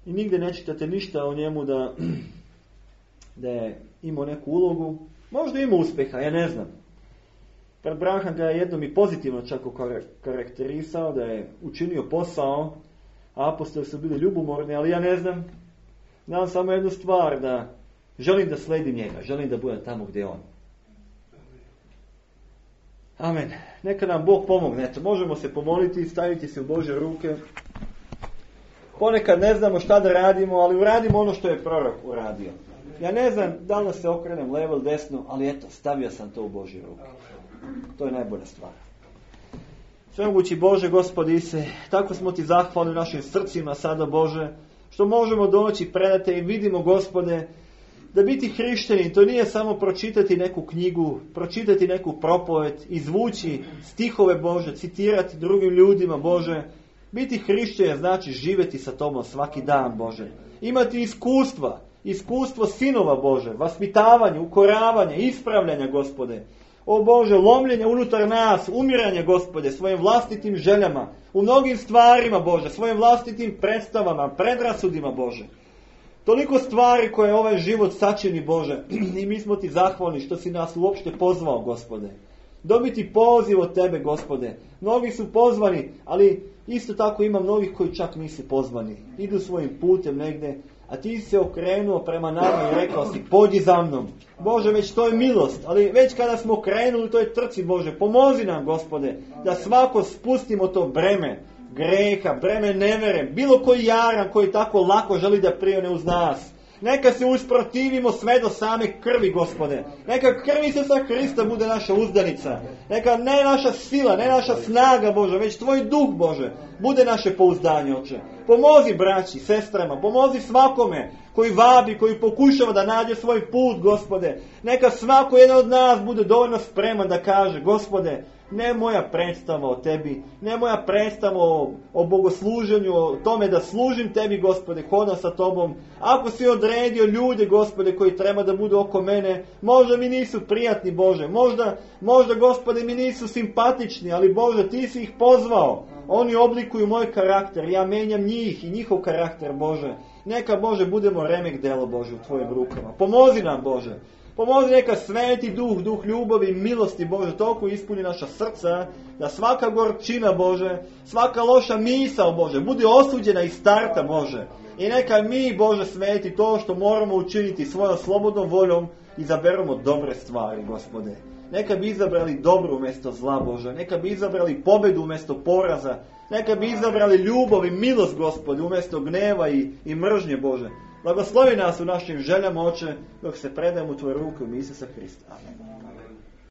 I nigdje ne čitate ništa o njemu da je imao neku ulogu. Možda ima uspjeha, ja ne znam. Brat Branham ga je jednom i pozitivno čak karakterisao, da je učinio posao, a apostoli su bili ljubomorni, ali ja ne znam. Znam samo jednu stvar, da želim da sledim njega, želim da budem tamo gdje je on. Amen. Neka nam Bog pomogne. Eto, možemo se pomoliti, staviti se u Božje ruke. Ponekad ne znamo šta da radimo, ali uradimo ono što je prorok uradio. Ja ne znam da li se okrenem levo ili desno, ali eto, stavio sam to u Božje ruke. To je najbolja stvar. Svemogući Bože, Gospodi Ise, tako smo Ti zahvalni u našim srcima sada, Bože, što možemo doći pred Te i vidimo, Gospode, da biti hrišćanin, to nije samo pročitati neku knjigu, pročitati neku propoved, izvući stihove Bože, citirati drugim ljudima, Bože. Biti hrišćanin znači živjeti sa Tobom svaki dan, Bože. imati iskustvo sinova Bože, vaspitavanje, ukoravanje, ispravljanja Gospode. O Bože, lomljenja unutar nas, umiranje Gospode, svojim vlastitim željama, u mnogim stvarima Bože, svojim vlastitim predstavama, predrasudima Bože. Toliko stvari koje ovaj život sačini Bože i mi smo ti zahvalni što si nas uopšte pozvao Gospode. Dobiti poziv od tebe Gospode. Mnogi su pozvani, ali isto tako ima mnogih koji čak nisu pozvani. Idu svojim putem negdje, a ti si se okrenuo prema nama i rekao si pođi za mnom. Bože, već to je milost, ali već kada smo krenuli u toj trci Bože, pomozi nam Gospode da svako spustimo to breme greha, breme nevere, bilo koji jaran koji tako lako želi da prione uz nas. Neka se usprotivimo sve do same krvi Gospode. Neka krv Isusa Hrista bude naša uzdanica. Neka ne naša sila, ne naša snaga Bože, već tvoj duh Bože bude naše pouzdanje Oče. Pomozi braći, sestrama, pomozi svakome koji vabi, koji pokušava da nađe svoj put Gospode. Neka svako jedan od nas bude dovoljno spreman da kaže Gospode, ne moja predstava o tebi, ne moja predstava o bogosluženju, o tome da služim tebi Gospode, hodam sa tobom. Ako si odredio ljude Gospode koji treba da budu oko mene, možda mi nisu prijatni Bože, možda Gospode mi nisu simpatični, ali Bože ti si ih pozvao. Oni oblikuju moj karakter, ja menjam njih i njihov karakter Bože. Neka Bože budemo remek delo Bože u tvojim rukama. Pomozi nam Bože. Pomozi neka sveti duh ljubavi i milosti Bože toliko ispuni naša srca, da svaka gorčina Bože, svaka loša misao Bože bude osuđena iz starta Bože. I neka mi Bože sveti to što moramo učiniti svojom slobodnom voljom, izaberemo dobre stvari Gospode. Neka bi izabrali dobro umjesto zla Bože, neka bi izabrali pobedu umjesto poraza, neka bi izabrali ljubav i milost Gospode umjesto gneva i mržnje Bože. Blagoslovi nas u našim željama Oče, dok se predajemo u tvoje ruke u ime Isusa Hrista. Amen.